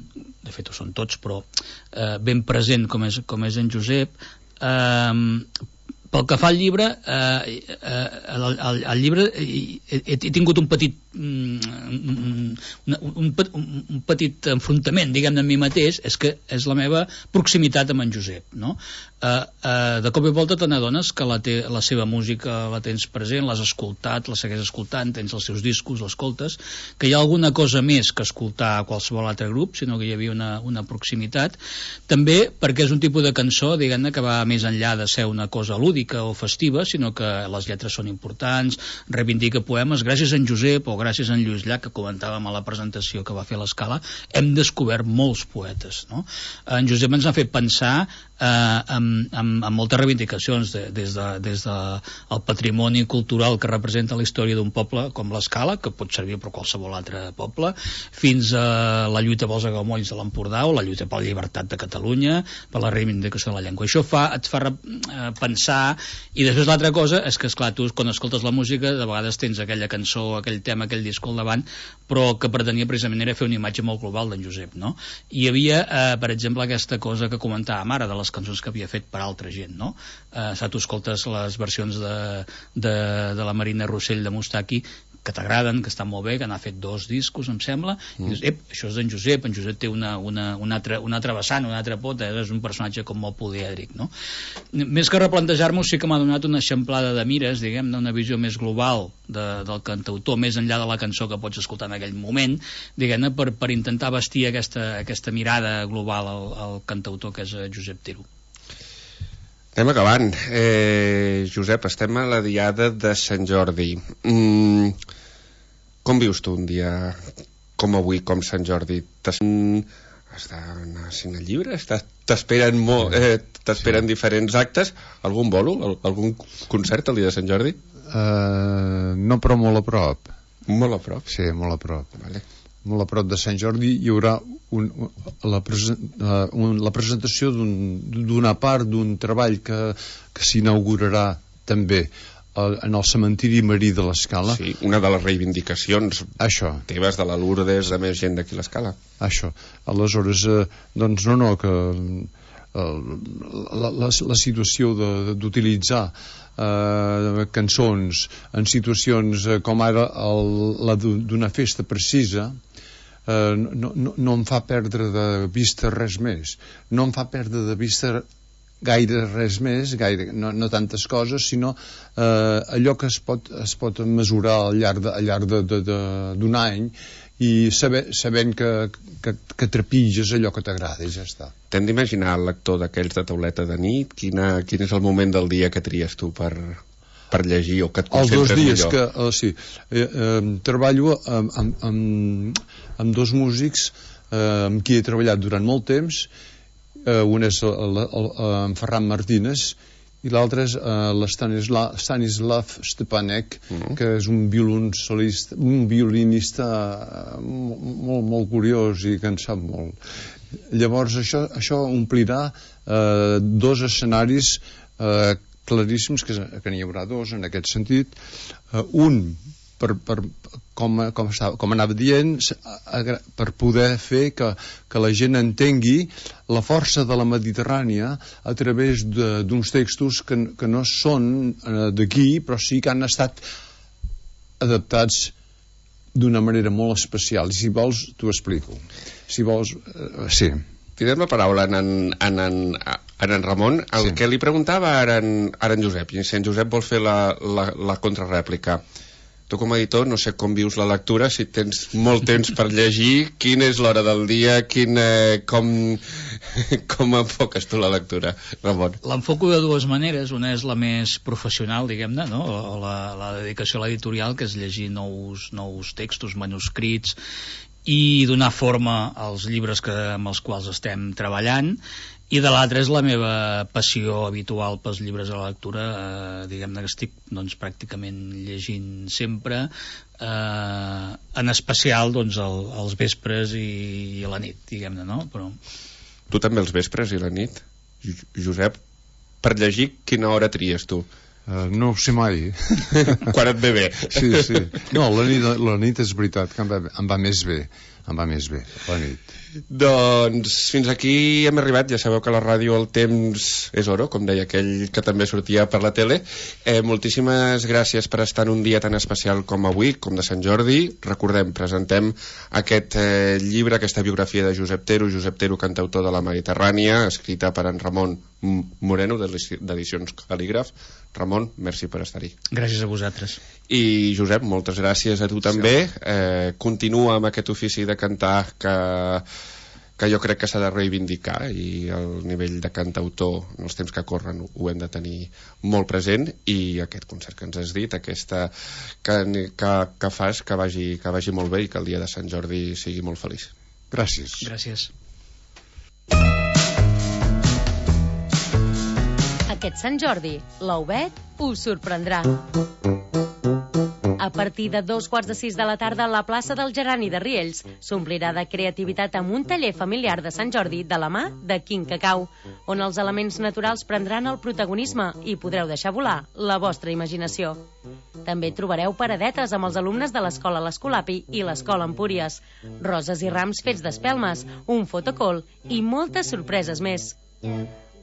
de fet ho són tots, però eh, ben present com és, com és en Josep. Eh, pel que fa al llibre, eh, eh, el, el, el llibre he, he tingut un petit un, un, un, un petit enfrontament, diguem-ne, amb mi mateix, és que és la meva proximitat amb en Josep, no? Eh, eh, de cop i volta te n'adones que la, te, la seva música la tens present, l'has escoltat, la segueix escoltant, tens els seus discos, l'escoltes, que hi ha alguna cosa més que escoltar a qualsevol altre grup, sinó que hi havia una, una proximitat. També perquè és un tipus de cançó, diguem-ne, que va més enllà de ser una cosa lúdica o festiva, sinó que les lletres són importants, reivindica poemes. Gràcies a en Josep o gràcies a en Lluís Llach, que comentàvem a la presentació que va fer a l'Escala, hem descobert molts poetes, no? En Josep ens ha fet pensar eh, amb, amb, amb moltes reivindicacions de, des, de, des de el patrimoni cultural que representa la història d'un poble com l'Escala, que pot servir per qualsevol altre poble, fins a la lluita pels aiguamolls de l'Empordà o la lluita per la llibertat de Catalunya, per la reivindicació de la llengua. Això fa, et fa eh, pensar. I després l'altra cosa és que, esclar, tu quan escoltes la música de vegades tens aquella cançó, aquell tema, aquell disc al davant, però que pretenia precisament era fer una imatge molt global d'en Josep, no? Hi havia, eh, per exemple, aquesta cosa que comentàvem ara de les cançons que havia fet per altra gent, no? Eh, si tu escoltes les versions de, de, de la Marina Rossell de Mustaki, que t'agraden, que estan molt bé, que n'ha fet dos discos, em sembla, mm. i dius, ep, això és d'en Josep, en Josep té una, una, una, altra, una altra vessant, una altra pota, és un personatge com molt polièdric, no? Més que replantejar-m'ho, sí que m'ha donat una eixamplada de mires, diguem, una visió més global de, del cantautor, més enllà de la cançó que pots escoltar en aquell moment, diguem-ne, per, per intentar vestir aquesta, aquesta mirada global al, al cantautor que és Josep Tero. Anem acabant. Eh, Josep, estem a la diada de Sant Jordi. Mm, com vius tu un dia com avui, com Sant Jordi? Has d'anar a signar llibres? T'esperen molt, eh, t'esperen sí. diferents actes? Algun bolo? Algun concert el dia de Sant Jordi? Uh, no, però molt a prop. Molt a prop? Sí, molt a prop. Vale. Molt a prop de Sant Jordi hi haurà un, la, presen, uh, un, la presentació d'una un, part d'un treball que, que s'inaugurarà també uh, en el cementiri marí de l'Escala. Sí, una de les reivindicacions Això. teves de la Lourdes, de més gent d'aquí a l'Escala. Això. Aleshores, uh, doncs no, no, que uh, la, la, la situació d'utilitzar Uh, cançons en situacions uh, com ara el, la d'una festa precisa uh, no, no, no em fa perdre de vista res més, no em fa perdre de vista gaire res més, gaire, no, no tantes coses, sinó uh, allò que es pot, es pot mesurar al llarg de, al llarg de, de, de, d'un any i saber, sabent que, que, que trepitges allò que t'agrada i ja està. T'hem d'imaginar el lector d'aquells de tauleta de nit? Quina, quin és el moment del dia que tries tu per, per llegir o que et concentres millor? Els dos dies que, uh, sí, eh, eh, treballo amb, amb, amb, amb dos músics eh, amb qui he treballat durant molt temps. Eh, un és el, el, el, en Ferran Martínez i l'altre és uh, l'Stanislav Stanislav Stepanek, mm-hmm. que és un violoncelista, un violinista uh, molt, molt curiós i que en sap molt. Llavors això, això omplirà uh, dos escenaris eh, claríssims, que, que n'hi haurà dos en aquest sentit. Uh, un, per, per, com, com, estava, com anava dient, per poder fer que, que la gent entengui la força de la Mediterrània a través d'uns textos que, que no són uh, d'aquí, però sí que han estat adaptats d'una manera molt especial. I si vols, t'ho explico. Si vols, uh, sí. Tindrem la paraula en en, en, en, en, en Ramon. El sí. que li preguntava ara en, ara en Josep, i si en Josep vol fer la, la, la contrarèplica. Tu com a editor no sé com vius la lectura, si tens molt temps per llegir, quina és l'hora del dia, quin, eh, com, com enfoques tu la lectura, Ramon? L'enfoco de dues maneres. Una és la més professional, diguem-ne, no? la, la dedicació a l'editorial, que és llegir nous, nous textos, manuscrits, i donar forma als llibres que, amb els quals estem treballant, i de l'altra és la meva passió habitual pels llibres de la lectura, eh, diguem-ne que estic doncs, pràcticament llegint sempre, eh, en especial doncs, el, els vespres i, i a la nit, diguem-ne, no? Però... Tu també els vespres i la nit? Josep, per llegir quina hora tries tu? Uh, no ho sé mai. Quan et ve bé. Sí, sí. No, la nit, la nit és veritat que em va, em va més bé. Em va més bé, la nit. Doncs fins aquí hem arribat. Ja sabeu que a la ràdio el temps és oro, com deia aquell que també sortia per la tele. Eh, moltíssimes gràcies per estar en un dia tan especial com avui, com de Sant Jordi. Recordem, presentem aquest eh, llibre, aquesta biografia de Josep Tero, Josep Tero, cantautor de la Mediterrània, escrita per en Ramon Moreno, d'Edicions Cal·lígraf. Ramon, merci per estar-hi. Gràcies a vosaltres. I Josep, moltes gràcies a tu també. Eh, continua amb aquest ofici de cantar que, que jo crec que s'ha de reivindicar, i el nivell de cantautor en els temps que corren ho hem de tenir molt present, i aquest concert que ens has dit, aquesta que, que, que fas, que vagi, que vagi molt bé i que el dia de Sant Jordi sigui molt feliç. Gràcies. Gràcies. Aquest Sant Jordi, l'Obed us sorprendrà. A partir de dos quarts de sis de la tarda, la plaça del Gerani de Riells s'omplirà de creativitat amb un taller familiar de Sant Jordi de la mà de Quin Cacau, on els elements naturals prendran el protagonisme i podreu deixar volar la vostra imaginació. També trobareu paradetes amb els alumnes de l'Escola l'Escolapi i l'Escola Empúries, roses i rams fets d'espelmes, un fotocall i moltes sorpreses més.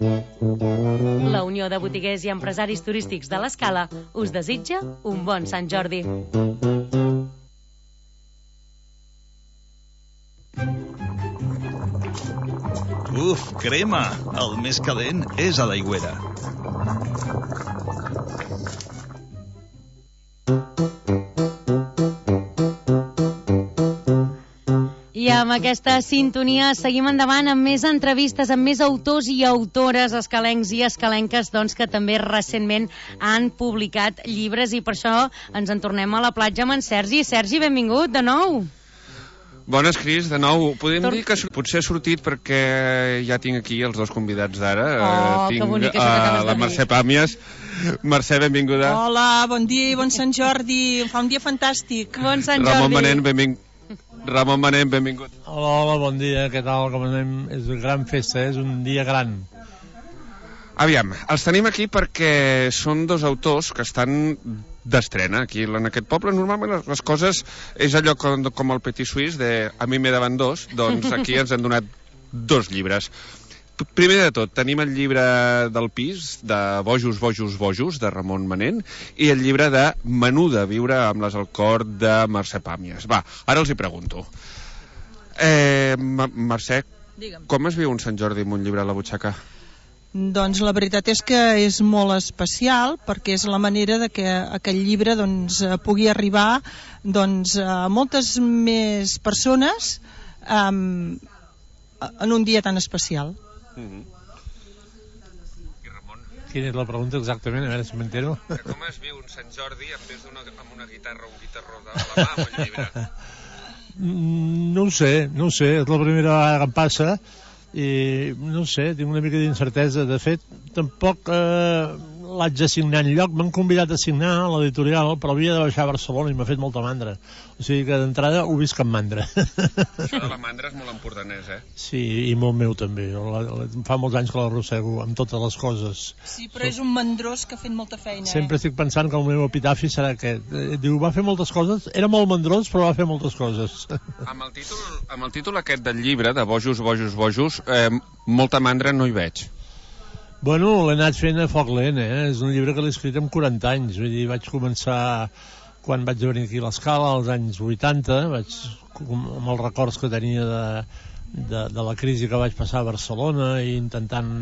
La Unió de Botiguers i Empresaris Turístics de l'Escala us desitja un bon Sant Jordi. Uf, crema! El més calent és a l'Aigüera. I amb aquesta sintonia seguim endavant amb més entrevistes, amb més autors i autores escalencs i escalenques, doncs, que també recentment han publicat llibres, i per això ens en tornem a la platja amb en Sergi. Sergi, benvingut de nou. Bones, Cris, de nou. Podem Tor... dir que potser ha sortit perquè ja tinc aquí els dos convidats d'ara. Oh, tinc que bonic, això que acabes de dir. La Mercè Pàmies. Mercè, benvinguda. Hola, bon dia i bon Sant Jordi. Fa un dia fantàstic. Bon Sant Jordi. Ramon Manent, benvingut. Ramon Manent, benvingut. Hola, hola, bon dia, què tal, com anem? És una gran festa, és un dia gran. Aviam, els tenim aquí perquè són dos autors que estan d'estrena aquí en aquest poble. Normalment les coses és allò com, com el Petit Suisse de a mi me daven dos, doncs aquí ens han donat dos llibres. Primer de tot, tenim el llibre del pis, de Bojos, Bojos, Bojos, de Ramon Manent, i el llibre de Menuda, viure amb les al cor, de Mercè Pàmies. Va, ara els hi pregunto. Eh, Mercè, Digue'm. Com es viu un Sant Jordi amb un llibre a la butxaca? Doncs la veritat és que és molt especial, perquè és la manera de que aquest llibre doncs, pugui arribar doncs, a moltes més persones um, en un dia tan especial. Mm-hmm. I Ramon? Quina és la pregunta exactament? A veure si m'entero. Com es viu un Sant Jordi en vez d'una, amb una guitarra o un guitarró de la mà amb el llibre? No ho sé, no ho sé. És la primera vegada que em passa i no ho sé, tinc una mica d'incertesa. De fet, tampoc eh, l'haig de signar en lloc, m'han convidat a signar a l'editorial, però havia de baixar a Barcelona i m'ha fet molta mandra. O sigui que d'entrada ho visc amb mandra. Això de la mandra és molt empordanès, eh? Sí, i molt meu també. La, la, fa molts anys que l'arrossego amb totes les coses. Sí, però és un mandrós que ha fet molta feina. Sempre eh? estic pensant que el meu epitafi serà aquest. Diu, va fer moltes coses, era molt mandrós, però va fer moltes coses. Amb el títol, amb el títol aquest del llibre, de Bojos, Bojos, Bojos, eh, molta mandra no hi veig. Bueno, l'he anat fent a foc lent, eh? És un llibre que l'he escrit amb quaranta anys. Vull dir, vaig començar quan vaig venir aquí a l'Escala, als anys vuitanta, vaig, amb els records que tenia de, de, de la crisi que vaig passar a Barcelona i intentant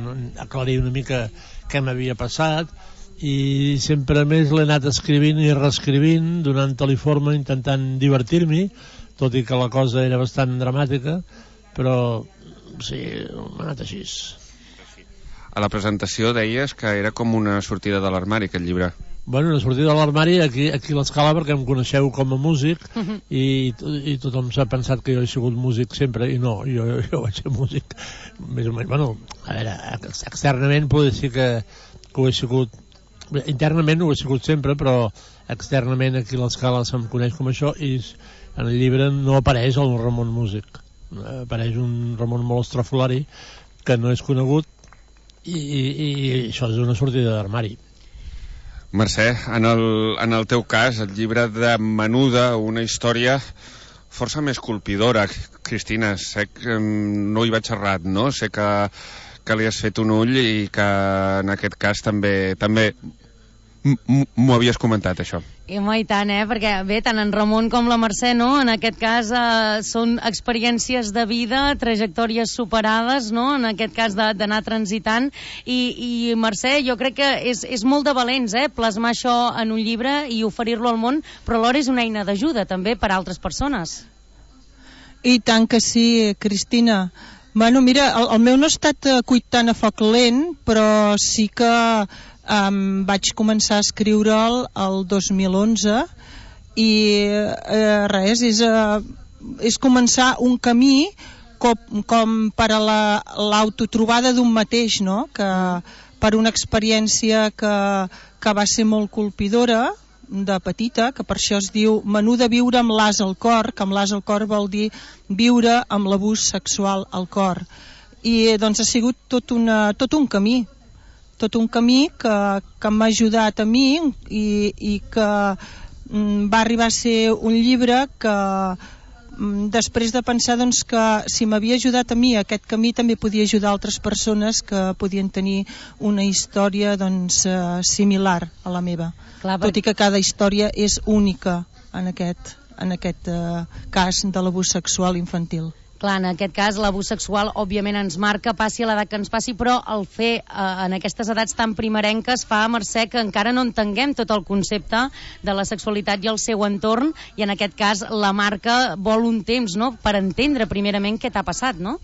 aclarir una mica què m'havia passat, i sempre més l'he anat escrivint i reescrivint, donant-li forma, intentant divertir-m'hi, tot i que la cosa era bastant dramàtica, però sí, m'ha anat així. A la presentació deies que era com una sortida de l'armari, aquest llibre. Bueno, una sortida de l'armari aquí, aquí a l'Escala, perquè em coneixeu com a músic, uh-huh. i, i tothom s'ha pensat que jo he sigut músic sempre, i no, jo, jo vaig ser músic més o menys. Bueno, a veure, externament podria dir que, que ho he sigut, internament ho he sigut sempre, però externament aquí a l'Escala se'm coneix com això, i en el llibre no apareix el Ramon músic, apareix un Ramon molt estrafolari que no és conegut, i, i, i això és una sortida d'armari. Mercè, en el, en el teu cas, el llibre de Menuda, una història força més colpidora. Cristina, sé que no hi vaig errat, no? Sé que, que li has fet un ull i que en aquest cas també també m'ho havies comentat, això. I mai tant, eh? Perquè bé, tant en Ramon com la Mercè, no? En aquest cas eh, són experiències de vida, trajectòries superades, no? En aquest cas d'anar transitant. I, i Mercè, jo crec que és, és molt de valents, eh? Plasmar això en un llibre i oferir-lo al món, però alhora és una eina d'ajuda també per a altres persones. I tant que sí, Cristina. Bueno, mira, el, el meu no ha estat cuit tant a foc lent, però sí que Um, vaig començar a escriure'l el dos mil onze i eh, res, és, uh, és començar un camí com, com per a l'autotrobada d'un mateix, no? Que per una experiència que, que va ser molt colpidora de petita, que per això es diu Menuda, viure amb l'as al cor, que amb l'as al cor vol dir viure amb l'abús sexual al cor, i doncs ha sigut tot, una, tot un camí tot un camí que, que m'ha ajudat a mi i, i que mm, va arribar a ser un llibre que mm, després de pensar doncs, que si m'havia ajudat a mi aquest camí també podia ajudar altres persones que podien tenir una història doncs, eh, similar a la meva. Clar, tot i que cada història és única en aquest, en aquest eh, cas de l'abús sexual infantil. Clar, en aquest cas l'abús sexual òbviament ens marca, passi a l'edat que ens passi, però el fer eh, en aquestes edats tan primerenques fa, Mercè, que encara no entenguem tot el concepte de la sexualitat i el seu entorn, i en aquest cas la marca vol un temps, no?, per entendre primerament què t'ha passat, no?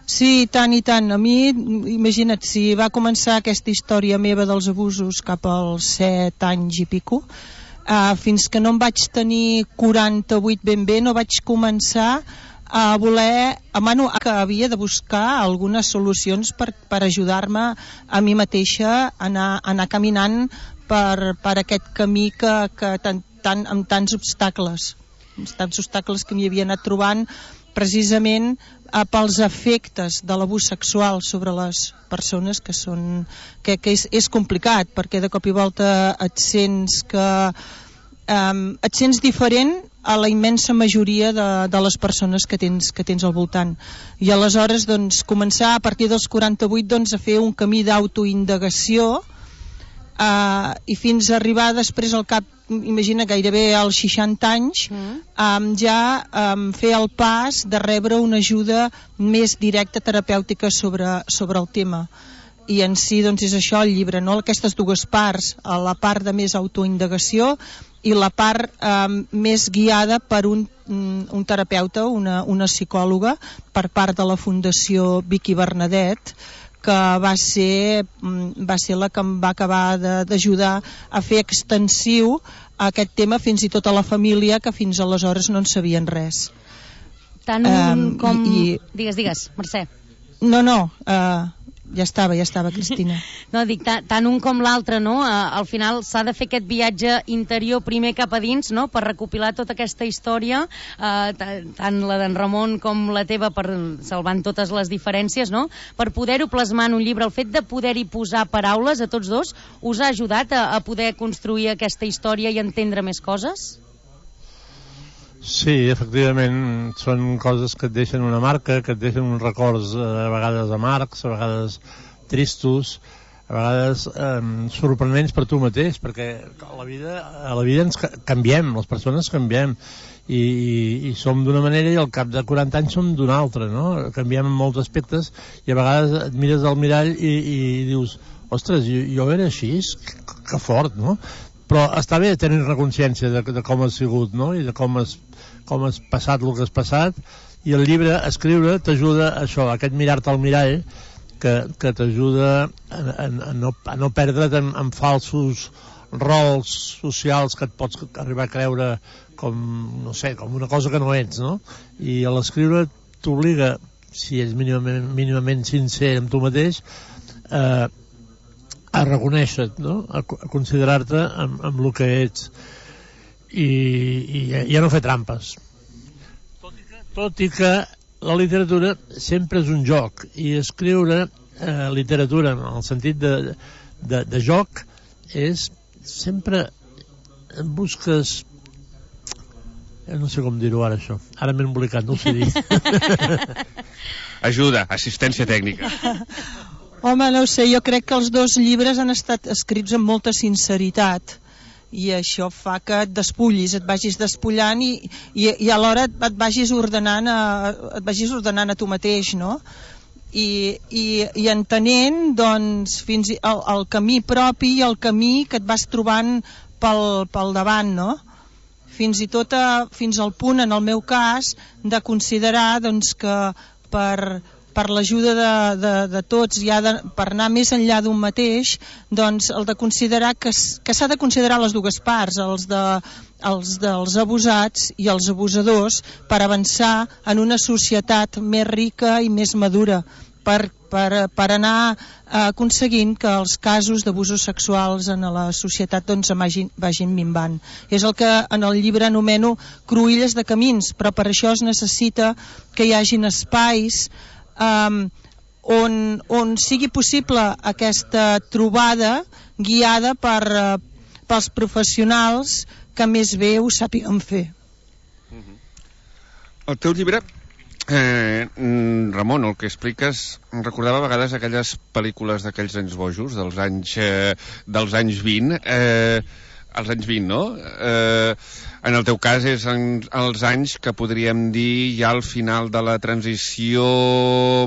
Sí, tant i tant. A mi, imagina't, si va començar aquesta història meva dels abusos cap als set anys i pico, eh, fins que no em vaig tenir quaranta-vuit ben bé, no vaig començar a voler, a mano, que havia de buscar algunes solucions per, per ajudar-me a mi mateixa a anar, a anar caminant per, per aquest camí que, que tan, tan, amb tants obstacles, tants obstacles que m'hi havia anat trobant precisament eh, pels efectes de l'abús sexual sobre les persones, que són que, que és, és complicat, perquè de cop i volta et sents que eh, et sents diferent a la immensa majoria de, de les persones que tens, que tens al voltant, i aleshores doncs, començar a partir dels quaranta-vuit doncs, a fer un camí d'autoindagació eh, i fins a arribar després al cap, imagina, gairebé als seixanta anys, mm. eh, ja eh, fer el pas de rebre una ajuda més directa terapèutica sobre, sobre el tema. I en si doncs, és això el llibre, no? Aquestes dues parts, la part de més autoindagació i la part eh, més guiada per un, un terapeuta, una, una psicòloga, per part de la Fundació Vicky Bernadet, que va ser, va ser la que em va acabar d'ajudar a fer extensiu aquest tema fins i tot a la família, que fins aleshores no en sabien res. Tant um, com... I, i... Digues, digues, Mercè. No, no, eh... ja estava, ja estava, Cristina. No, dic, tant, tant un com l'altre, no? Uh, al final s'ha de fer aquest viatge interior primer cap a dins, no?, per recopilar tota aquesta història, uh, tant la d'en Ramon com la teva, per salvant totes les diferències, no?, per poder-ho plasmar en un llibre. El fet de poder-hi posar paraules a tots dos us ha ajudat a, a poder construir aquesta història i entendre més coses? Sí, efectivament, són coses que et deixen una marca, que et deixen uns records eh, a vegades amargs, a vegades tristos, a vegades eh, sorprenents per tu mateix, perquè a la vida, a la vida ens canviem, les persones canviem, i, i, i som d'una manera i al cap de quaranta anys som d'una altra, no? Canviem en molts aspectes i a vegades et mires al mirall i, i dius, ostres, jo, jo era així, que, que fort, no? Però està bé tenir una consciència de, de com has sigut, no?, i de com has, com has passat el que has passat, i el llibre, escriure, t'ajuda a això, a aquest mirar-te al mirall, que, que t'ajuda a, a, a, no, a no perdre't en, en falsos rols socials que et pots arribar a creure com, no sé, com una cosa que no ets, no? I a l'escriure t'obliga, si ets mínimament, mínimament sincer amb tu mateix, eh, a reconèixer-te, no?, a, a considerar-te amb, amb el que ets, i, i, i a no fer trampes. Tot i, que, tot i que la literatura sempre és un joc, i escriure eh, literatura en el sentit de, de, de joc és sempre busques, no sé com dir-ho ara, això, ara m'he embolicat, no ho sé dir. Ajuda, assistència tècnica. Home, no ho sé, jo crec que els dos llibres han estat escrits amb molta sinceritat, i això fa que et despullis, et vagis despullant i, i, i alhora et, et vagis ordenant a, et vagis ordenant a tu mateix, no? I, i, i entenent, doncs, fins el, el camí propi i el camí que et vas trobant pel, pel davant, no? Fins i tot a, fins al punt, en el meu cas, de considerar, doncs, que per per l'ajuda de, de, de tots, ja de, per anar més enllà d'un mateix, doncs el de considerar que, que s'ha de considerar les dues parts, els, de, els dels abusats i els abusadors, per avançar en una societat més rica i més madura, per, per, per anar eh, aconseguint que els casos d'abusos sexuals en la societat doncs, vagin, vagin minvant. És el que en el llibre anomeno cruïlles de camins, però per això es necessita que hi hagin espais Um, on, on sigui possible aquesta trobada guiada per, uh, pels professionals que més bé ho sàpiguen fer. El teu llibre, eh, Ramon, el que expliques, em recordava a vegades aquelles pel·lícules d'aquells anys bojos, dels anys, eh, dels anys vint, eh, als anys vint, no? Eh, en el teu cas és en els anys que podríem dir ja al final de la transició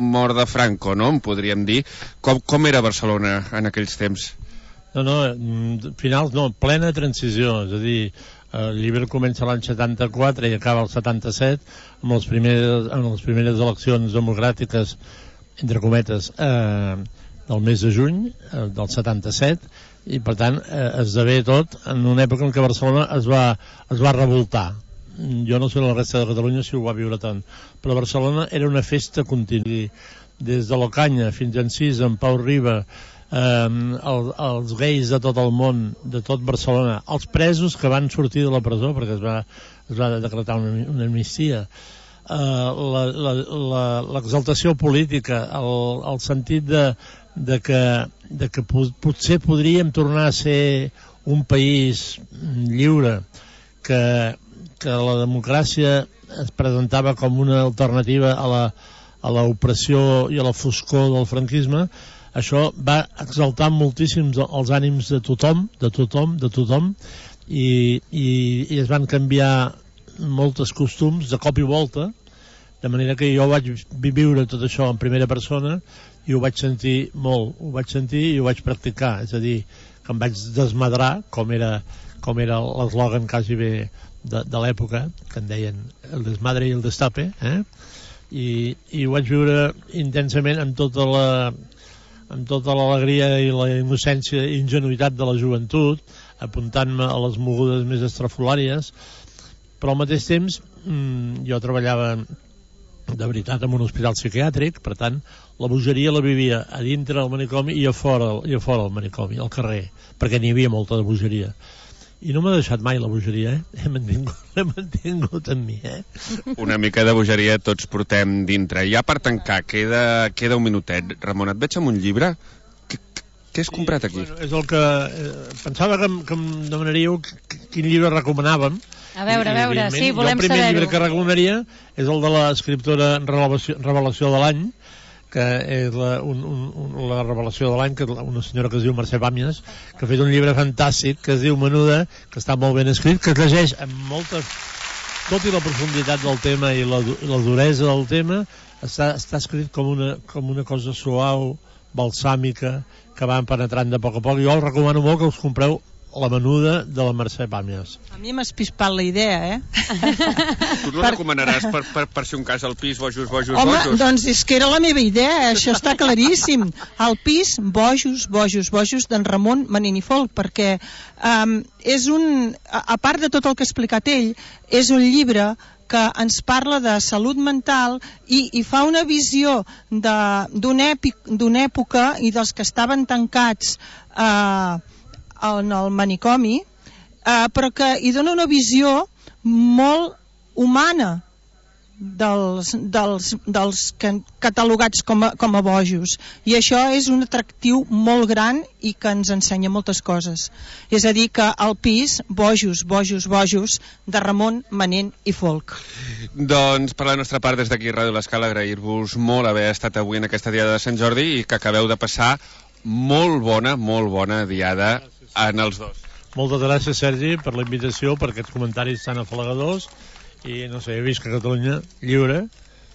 mort de Franco, no? En podríem dir. Com, com era Barcelona en aquells temps? No, no, finals no, plena transició, és a dir, el llibre comença l'any setanta-quatre i acaba el setanta-set, amb les primeres, amb les primeres eleccions democràtiques, entre cometes, eh, del mes de juny eh, del setanta-set, i per tant eh, esdevé tot en una època en què Barcelona es va, es va revoltar. Jo no sé la resta de Catalunya si ho va viure tant, però Barcelona era una festa contínua, des de l'Ocanya fins a Encís, en Pau Riba, eh, el, els gais de tot el món, de tot Barcelona, els presos que van sortir de la presó perquè es va, es va decretar una, una amnistia, eh, l'exaltació política, el, el sentit de de que, de que potser podríem tornar a ser un país lliure, que, que la democràcia es presentava com una alternativa a la, a l'opressió i a la foscor del franquisme. Això va exaltar moltíssim els ànims de tothom, de tothom, de tothom, i, i, i es van canviar molts costums de cop i volta, de manera que jo vaig viure tot això en primera persona i ho vaig sentir molt, ho vaig sentir i ho vaig practicar, és a dir, que em vaig desmadrar, com era, com era l'eslògan quasi bé de, de l'època, que en deien el desmadre i el destape, eh? I, i ho vaig viure intensament amb tota la amb tota l'alegria i la innocència i ingenuïtat de la joventut, apuntant-me a les mogudes més estrafolàries, però al mateix temps mmm, jo treballava de veritat en un hospital psiquiàtric, per tant, la bogeria la vivia a dintre del manicomi i a fora, i a fora del manicomi, al carrer, perquè n'hi havia molta de bogeria. I no m'ha deixat mai la bogeria, eh? He mantingut, he mantingut amb mi, eh? Una mica de bogeria tots portem dintre. Ja per tancar, queda, queda un minutet. Ramon, et veig amb un llibre. Què, què has comprat aquí? Bueno, és el que... Eh, pensava que, que em demanaríeu quin llibre recomanàvem. A veure, a veure, sí, volem saber-ho. El primer llibre que recomanaria és el de l'escriptora Revelació, Revelació de l'any, que és la, un, un, la revelació de l'any, que una senyora que es diu Mercè Pàmies, que ha fet un llibre fantàstic que es diu Menuda, que està molt ben escrit, que es llegeix amb molta... tot i la profunditat del tema i la, la duresa del tema, està, està escrit com una, com una cosa suau, balsàmica, que van penetrant de poc a poc. Jo us recomano molt que us compreu La Menuda de la Mercè Pàmies. A mi m'ha espispat la idea, eh? Tu no per... recomanaràs per, per, per si un cas al pis bojos, bojos, Home, bojos? Home, doncs és que era la meva idea, això està claríssim. Al pis, bojos, bojos, bojos d'en Ramon Manent i Folch, perquè um, és un... A, a part de tot el que ha explicat ell, és un llibre que ens parla de salut mental i, i fa una visió d'una època i dels que estaven tancats eh, en el manicomi, eh, però que hi dona una visió molt humana dels, dels, dels catalogats com a, com a bojos, i això és un atractiu molt gran i que ens ensenya moltes coses. És a dir, que al pis, bojos, bojos, bojos, de Ramon Manent i Folch. Doncs per la nostra part, des d'aquí Ràdio L'Escala, agrair-vos molt haver estat avui en aquesta diada de Sant Jordi i que acabeu de passar molt bona, molt bona diada en els dos. Moltes gràcies, Sergi, per la invitació, per aquests comentaris tan afalagadors, i no sé, he vist que Catalunya lliure,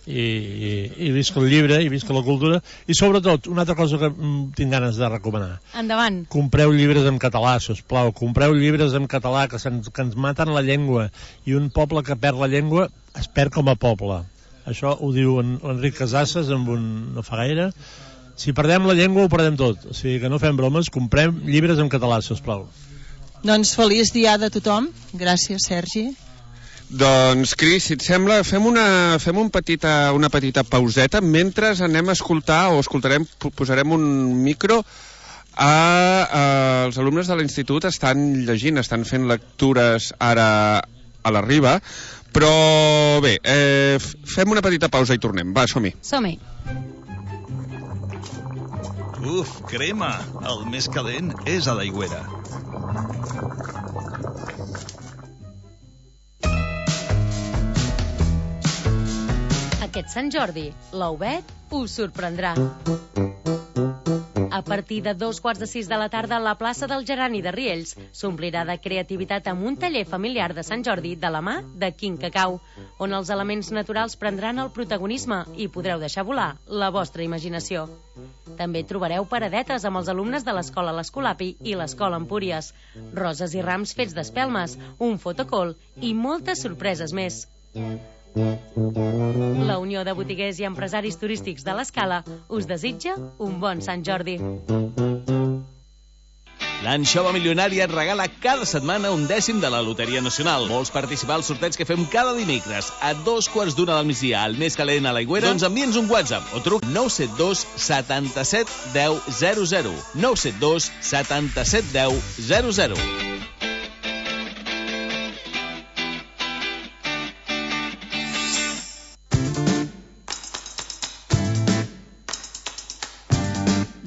i, i, i visc el llibre, i visc la cultura, i sobretot, una altra cosa que tinc ganes de recomanar. Endavant. Compreu llibres en català, sisplau, compreu llibres en català, que, que ens maten la llengua, i un poble que perd la llengua es perd com a poble. Això ho diu en, Enric Casasses amb un no fa gaire. Si perdem la llengua ho perdem tot, o sigui que no fem bromes, comprem llibres en català, sisplau. Doncs feliç diada a tothom. Gràcies, Sergi. Doncs, Cris, si et sembla, fem una, fem un petita, una petita pauseta mentre anem a escoltar, o escoltarem, posarem un micro a, a els alumnes de l'institut. Estan llegint, estan fent lectures ara a la Riba, però bé, eh, fem una petita pausa i tornem. Va, som-hi. Som-hi. Uf, crema! El més calent és a l'Aigüera. Aquest Sant Jordi, l'Obed us sorprendrà. A partir de dos quarts de sis de la tarda, la plaça del Gerani de Riells s'omplirà de creativitat amb un taller familiar de Sant Jordi de la mà de Quin Cacau, on els elements naturals prendran el protagonisme i podreu deixar volar la vostra imaginació. També trobareu paradetes amb els alumnes de l'Escola L'Escolapi i l'Escola Empúries, roses i rams fets d'espelmes, un fotocall i moltes sorpreses més. La Unió de Botiguers i Empresaris Turístics de l'Escala us desitja un bon Sant Jordi. L'Anxova Milionària et regala cada setmana un dècim de la Loteria Nacional. Vols participar al sorteig que fem cada dimecres a dos quarts d'una del migdia al més calent a l'Aigüera? Doncs envia'ns un WhatsApp o truc nou set dos setanta-set deu zero zero. nou set dos setanta-set deu zero zero.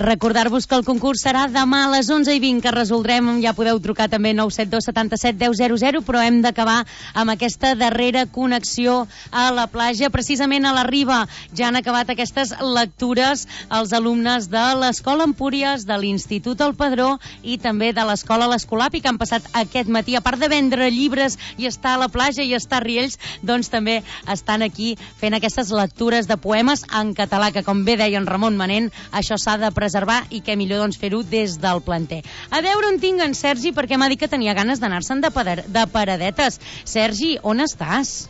Recordar-vos que el concurs serà demà a les onze i vint, que resoldrem, ja podeu trucar també nou set dos setanta-set deu zero zero, però hem d'acabar amb aquesta darrera connexió a la platja. Precisament a la Riba ja han acabat aquestes lectures els alumnes de l'Escola Empúries, de l'Institut El Padró i també de l'Escola L'Escolapi, que han passat aquest matí, a part de vendre llibres i estar a la platja i estar a Riells, doncs també estan aquí fent aquestes lectures de poemes en català, que com bé deia en Ramon Manent, això s'ha de presentar reservar i què millor doncs fer-ho des del planter. A veure on tinc en Sergi, perquè m'ha dit que tenia ganes d'anar-se'n de, de paradetes. Sergi, on estàs?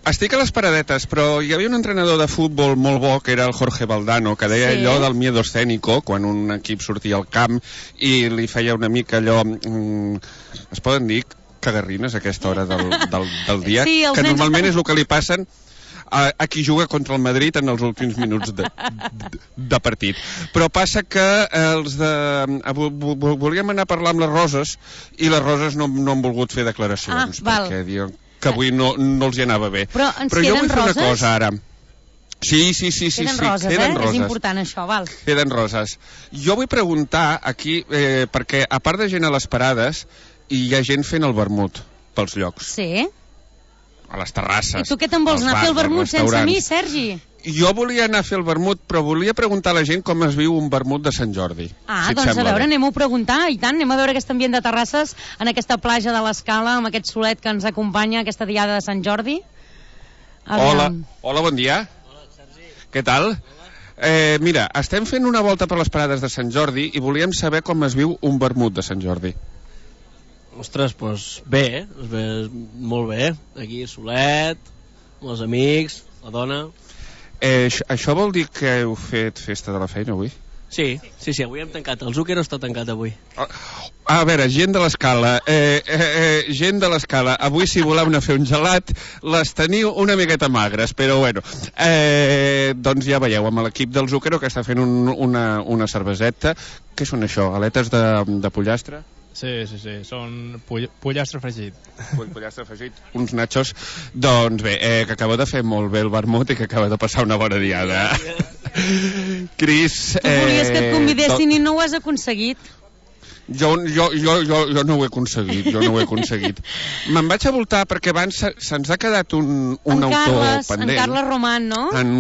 Estic a les paradetes, però hi havia un entrenador de futbol molt bo, que era el Jorge Valdano, que deia sí. allò del miedo escénico, quan un equip sortia al camp i li feia una mica allò... Mm, es poden dir cagarrines a aquesta hora del, del, del dia? Sí, que normalment és el que li passen a, a qui juga contra el Madrid en els últims minuts de, de, de partit. Però passa que els de... volíem anar a parlar amb les Roses i les Roses no, no han volgut fer declaracions, ah, perquè diuen que avui no, no els hi anava bé. Però ens Però jo vull fer roses? una cosa ara. Sí, sí, sí, sí, queden sí, roses, queden eh? roses. És important això, val. Queden roses. Jo vull preguntar aquí, eh, perquè a part de gent a les parades, hi ha gent fent el vermut pels llocs. Sí. A les terrasses. I tu què te'n vols anar a fer el vermut sense mi, Sergi? Jo volia anar a fer el vermut, però volia preguntar a la gent com es viu un vermut de Sant Jordi. Ah, si doncs a veure, bé. anem-ho a preguntar, i tant, anem a veure aquest ambient de terrasses en aquesta platja de l'Escala, amb aquest solet que ens acompanya, aquesta diada de Sant Jordi. Aviam. Hola, hola, bon dia. Hola, Sergi. Què tal? Eh, mira, estem fent una volta per les parades de Sant Jordi i volíem saber com es viu un vermut de Sant Jordi. Ostres, doncs bé, bé, molt bé. Aquí, solet, amb els amics, la dona... Eh, això vol dir que heu fet festa de la feina avui? Sí, sí, sí, avui hem tancat. El Zúquero està tancat avui. A, a veure, gent de l'Escala, eh, eh, eh, gent de l'Escala, avui si voleu anar a fer un gelat, les teniu una miqueta magres, però bueno, eh, doncs ja veieu, amb l'equip del Zúquero que està fent un, una, una cerveseta. Què són això, aletes de, de pollastre? Sí, sí, sí, són poll pollastre fregit. Pollastre fregit, uns nachos. Doncs bé, eh, que acabeu de fer molt bé el vermut i que acabeu de passar una bona diada. Cris... Tu volies que et convidessin eh, i no ho has aconseguit. Jo, jo, jo, jo, jo no ho he aconseguit, jo no ho he aconseguit. Me'n vaig a voltar perquè abans se'ns ha quedat un, un en autor Carles, pendent. En Carles Roman, no? En,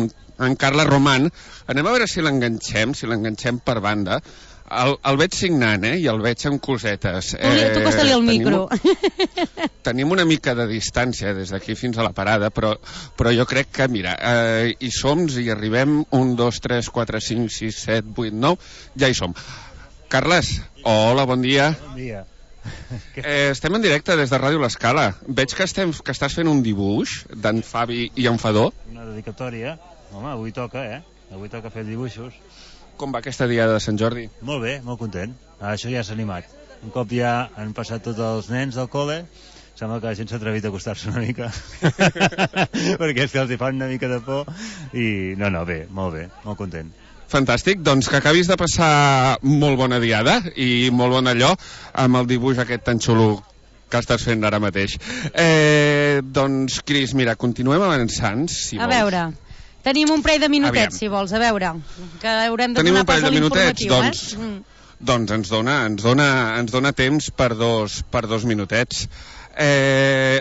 en Carles Roman. Anem a veure si l'enganxem, si l'enganxem per banda. El, el veig signant, eh? I el veig amb cosetes. Tu, eh, tu costa-li el micro. Tenim, tenim una mica de distància des d'aquí fins a la parada, però, però jo crec que, mira, eh, hi som, hi arribem, un, dos, tres, quatre, cinc, sis, set, vuit, nou, ja hi som. Carles, hola, bon dia. Bon dia. Eh, estem en directe des de Ràdio L'Escala. Veig que, estem, que estàs fent un dibuix d'en Fabi i en Fadó. Una dedicatòria. Home, avui toca, eh? Avui toca fer dibuixos. Com va aquesta diada de Sant Jordi? Molt bé, molt content. Això ja s'ha animat. Un cop ja han passat tots els nens del col·le, sembla que la gent s'ha atrevit a acostar-se una mica. Perquè és que els hi fan una mica de por. I no, no, bé, molt bé, molt content. Fantàstic, doncs que acabis de passar molt bona diada i molt bon allò amb el dibuix aquest tan xulo que estàs fent ara mateix. Eh, doncs, Cris, mira, continuem avançant, si a vols. veure... Tenim un parell de minutets, Aviam. si vols, a veure, que haurem de Tenim donar un parell pas a de minutets, l'informatiu, doncs, eh? Mm. doncs ens dona, ens dona, ens dona temps per dos, per dos minutets. Eh,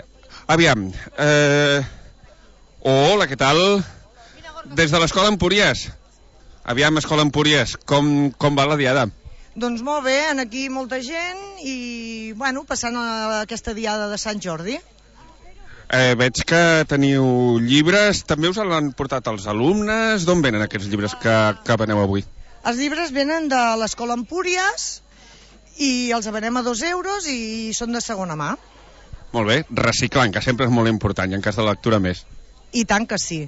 aviam, eh, hola, què tal? Des de l'Escola Empúries. Aviam, Escola Empúries, com, com va la diada? Doncs molt bé, aquí molta gent i, bueno, passant a aquesta diada de Sant Jordi. Eh, veig que teniu llibres, també us l'han portat els alumnes. D'on venen aquests llibres que, que veneu avui? Els llibres venen de l'Escola Empúries i els venem a dos euros i són de segona mà. Molt bé, reciclant, que sempre és molt important, i en cas de lectura més. I tant que sí.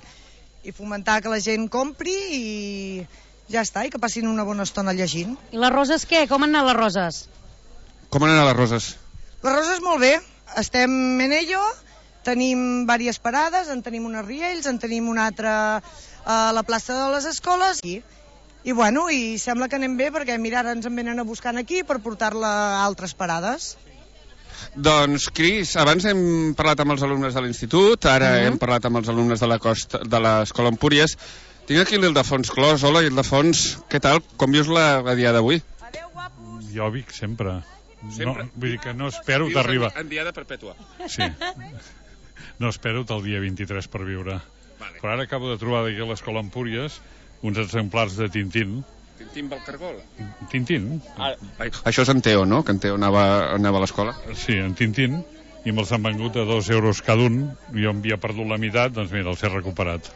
I fomentar que la gent compri i ja està, i que passin una bona estona llegint. I les roses què? Com han anat les roses? Com han anat les roses? Les roses molt bé, estem en ello. Tenim diverses parades, en tenim una a Riells, en tenim una altra a la plaça de les Escoles i, i bueno, i sembla que anem bé perquè mira, ara ens en venen a buscar aquí per portar-la a altres parades. Doncs, Cris, abans hem parlat amb els alumnes de l'institut, ara uh-huh. hem parlat amb els alumnes de la costa, de l'Escola Empúries. Tinc aquí l'Ildefons Clos. Hola, Ildefons, què tal? Com vius la, la dia d'avui? Jo vic sempre. Sempre? No, vull dir que no espero d'arribar... En diada perpètua. Sí. No espero el dia vint-i-tres per viure. Vale. Però ara acabo de trobar aquí a l'Escola Empúries uns exemplars de Tintín. Tintín Valcargol? Tintín. Ah, això és en Teo, no? Que en Teo anava, anava a l'escola. Sí, en Tintín. I me'ls han vengut a dos euros cada un. Jo em havia perdut la meitat, doncs mira, els he recuperat.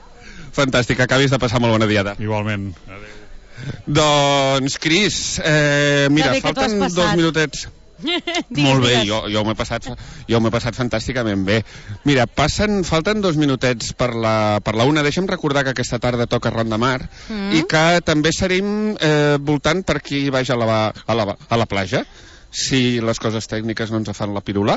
Fantàstic, acabis de passar molt bona diada. Igualment. Adéu. Doncs, Cris, eh, mira, falten dos minutets. digues, molt bé, digues. jo, jo m'he passat, jo m'he passat fantàsticament bé. Mira, passen, falten dos minutets per la, per la una. Deixa'm recordar que aquesta tarda toca Ronda Mar Mm. i que també serem eh, voltant per qui vaig a la, a la, a la platja. si les coses tècniques no ens fan la pirula,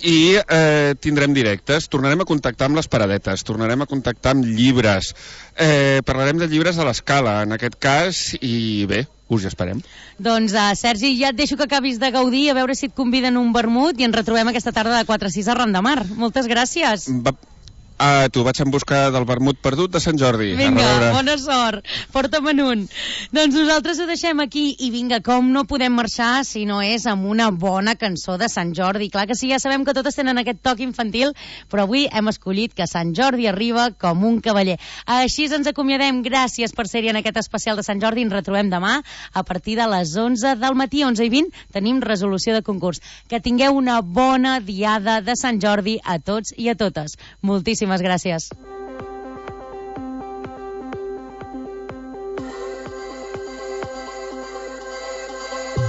i eh, tindrem directes, tornarem a contactar amb les paradetes, tornarem a contactar amb llibres, eh, parlarem de llibres a l'escala, en aquest cas, i bé, us hi esperem. Doncs, uh, Sergi, ja et deixo que acabis de gaudir, a veure si et conviden un vermut i ens retrobem aquesta tarda de quatre a sis a Ran de Mar. Moltes gràcies. Va... Ah, tu vaig en busca del vermut perdut de Sant Jordi. Vinga, bona sort. Porta'm en un. Doncs nosaltres ho deixem aquí i vinga, com no podem marxar si no és amb una bona cançó de Sant Jordi. Clar que sí, ja sabem que totes tenen aquest toc infantil, però avui hem escollit que Sant Jordi arriba com un cavaller. Així ens acomiadem. Gràcies per ser-hi en aquest especial de Sant Jordi. Ens retrobem demà a partir de les onze del matí, onze i vint, tenim resolució de concurs. Que tingueu una bona diada de Sant Jordi a tots i a totes. Moltíssimes gràcies.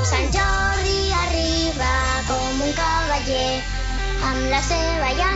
Sant Jordi arriba com un cavaller amb la seva llança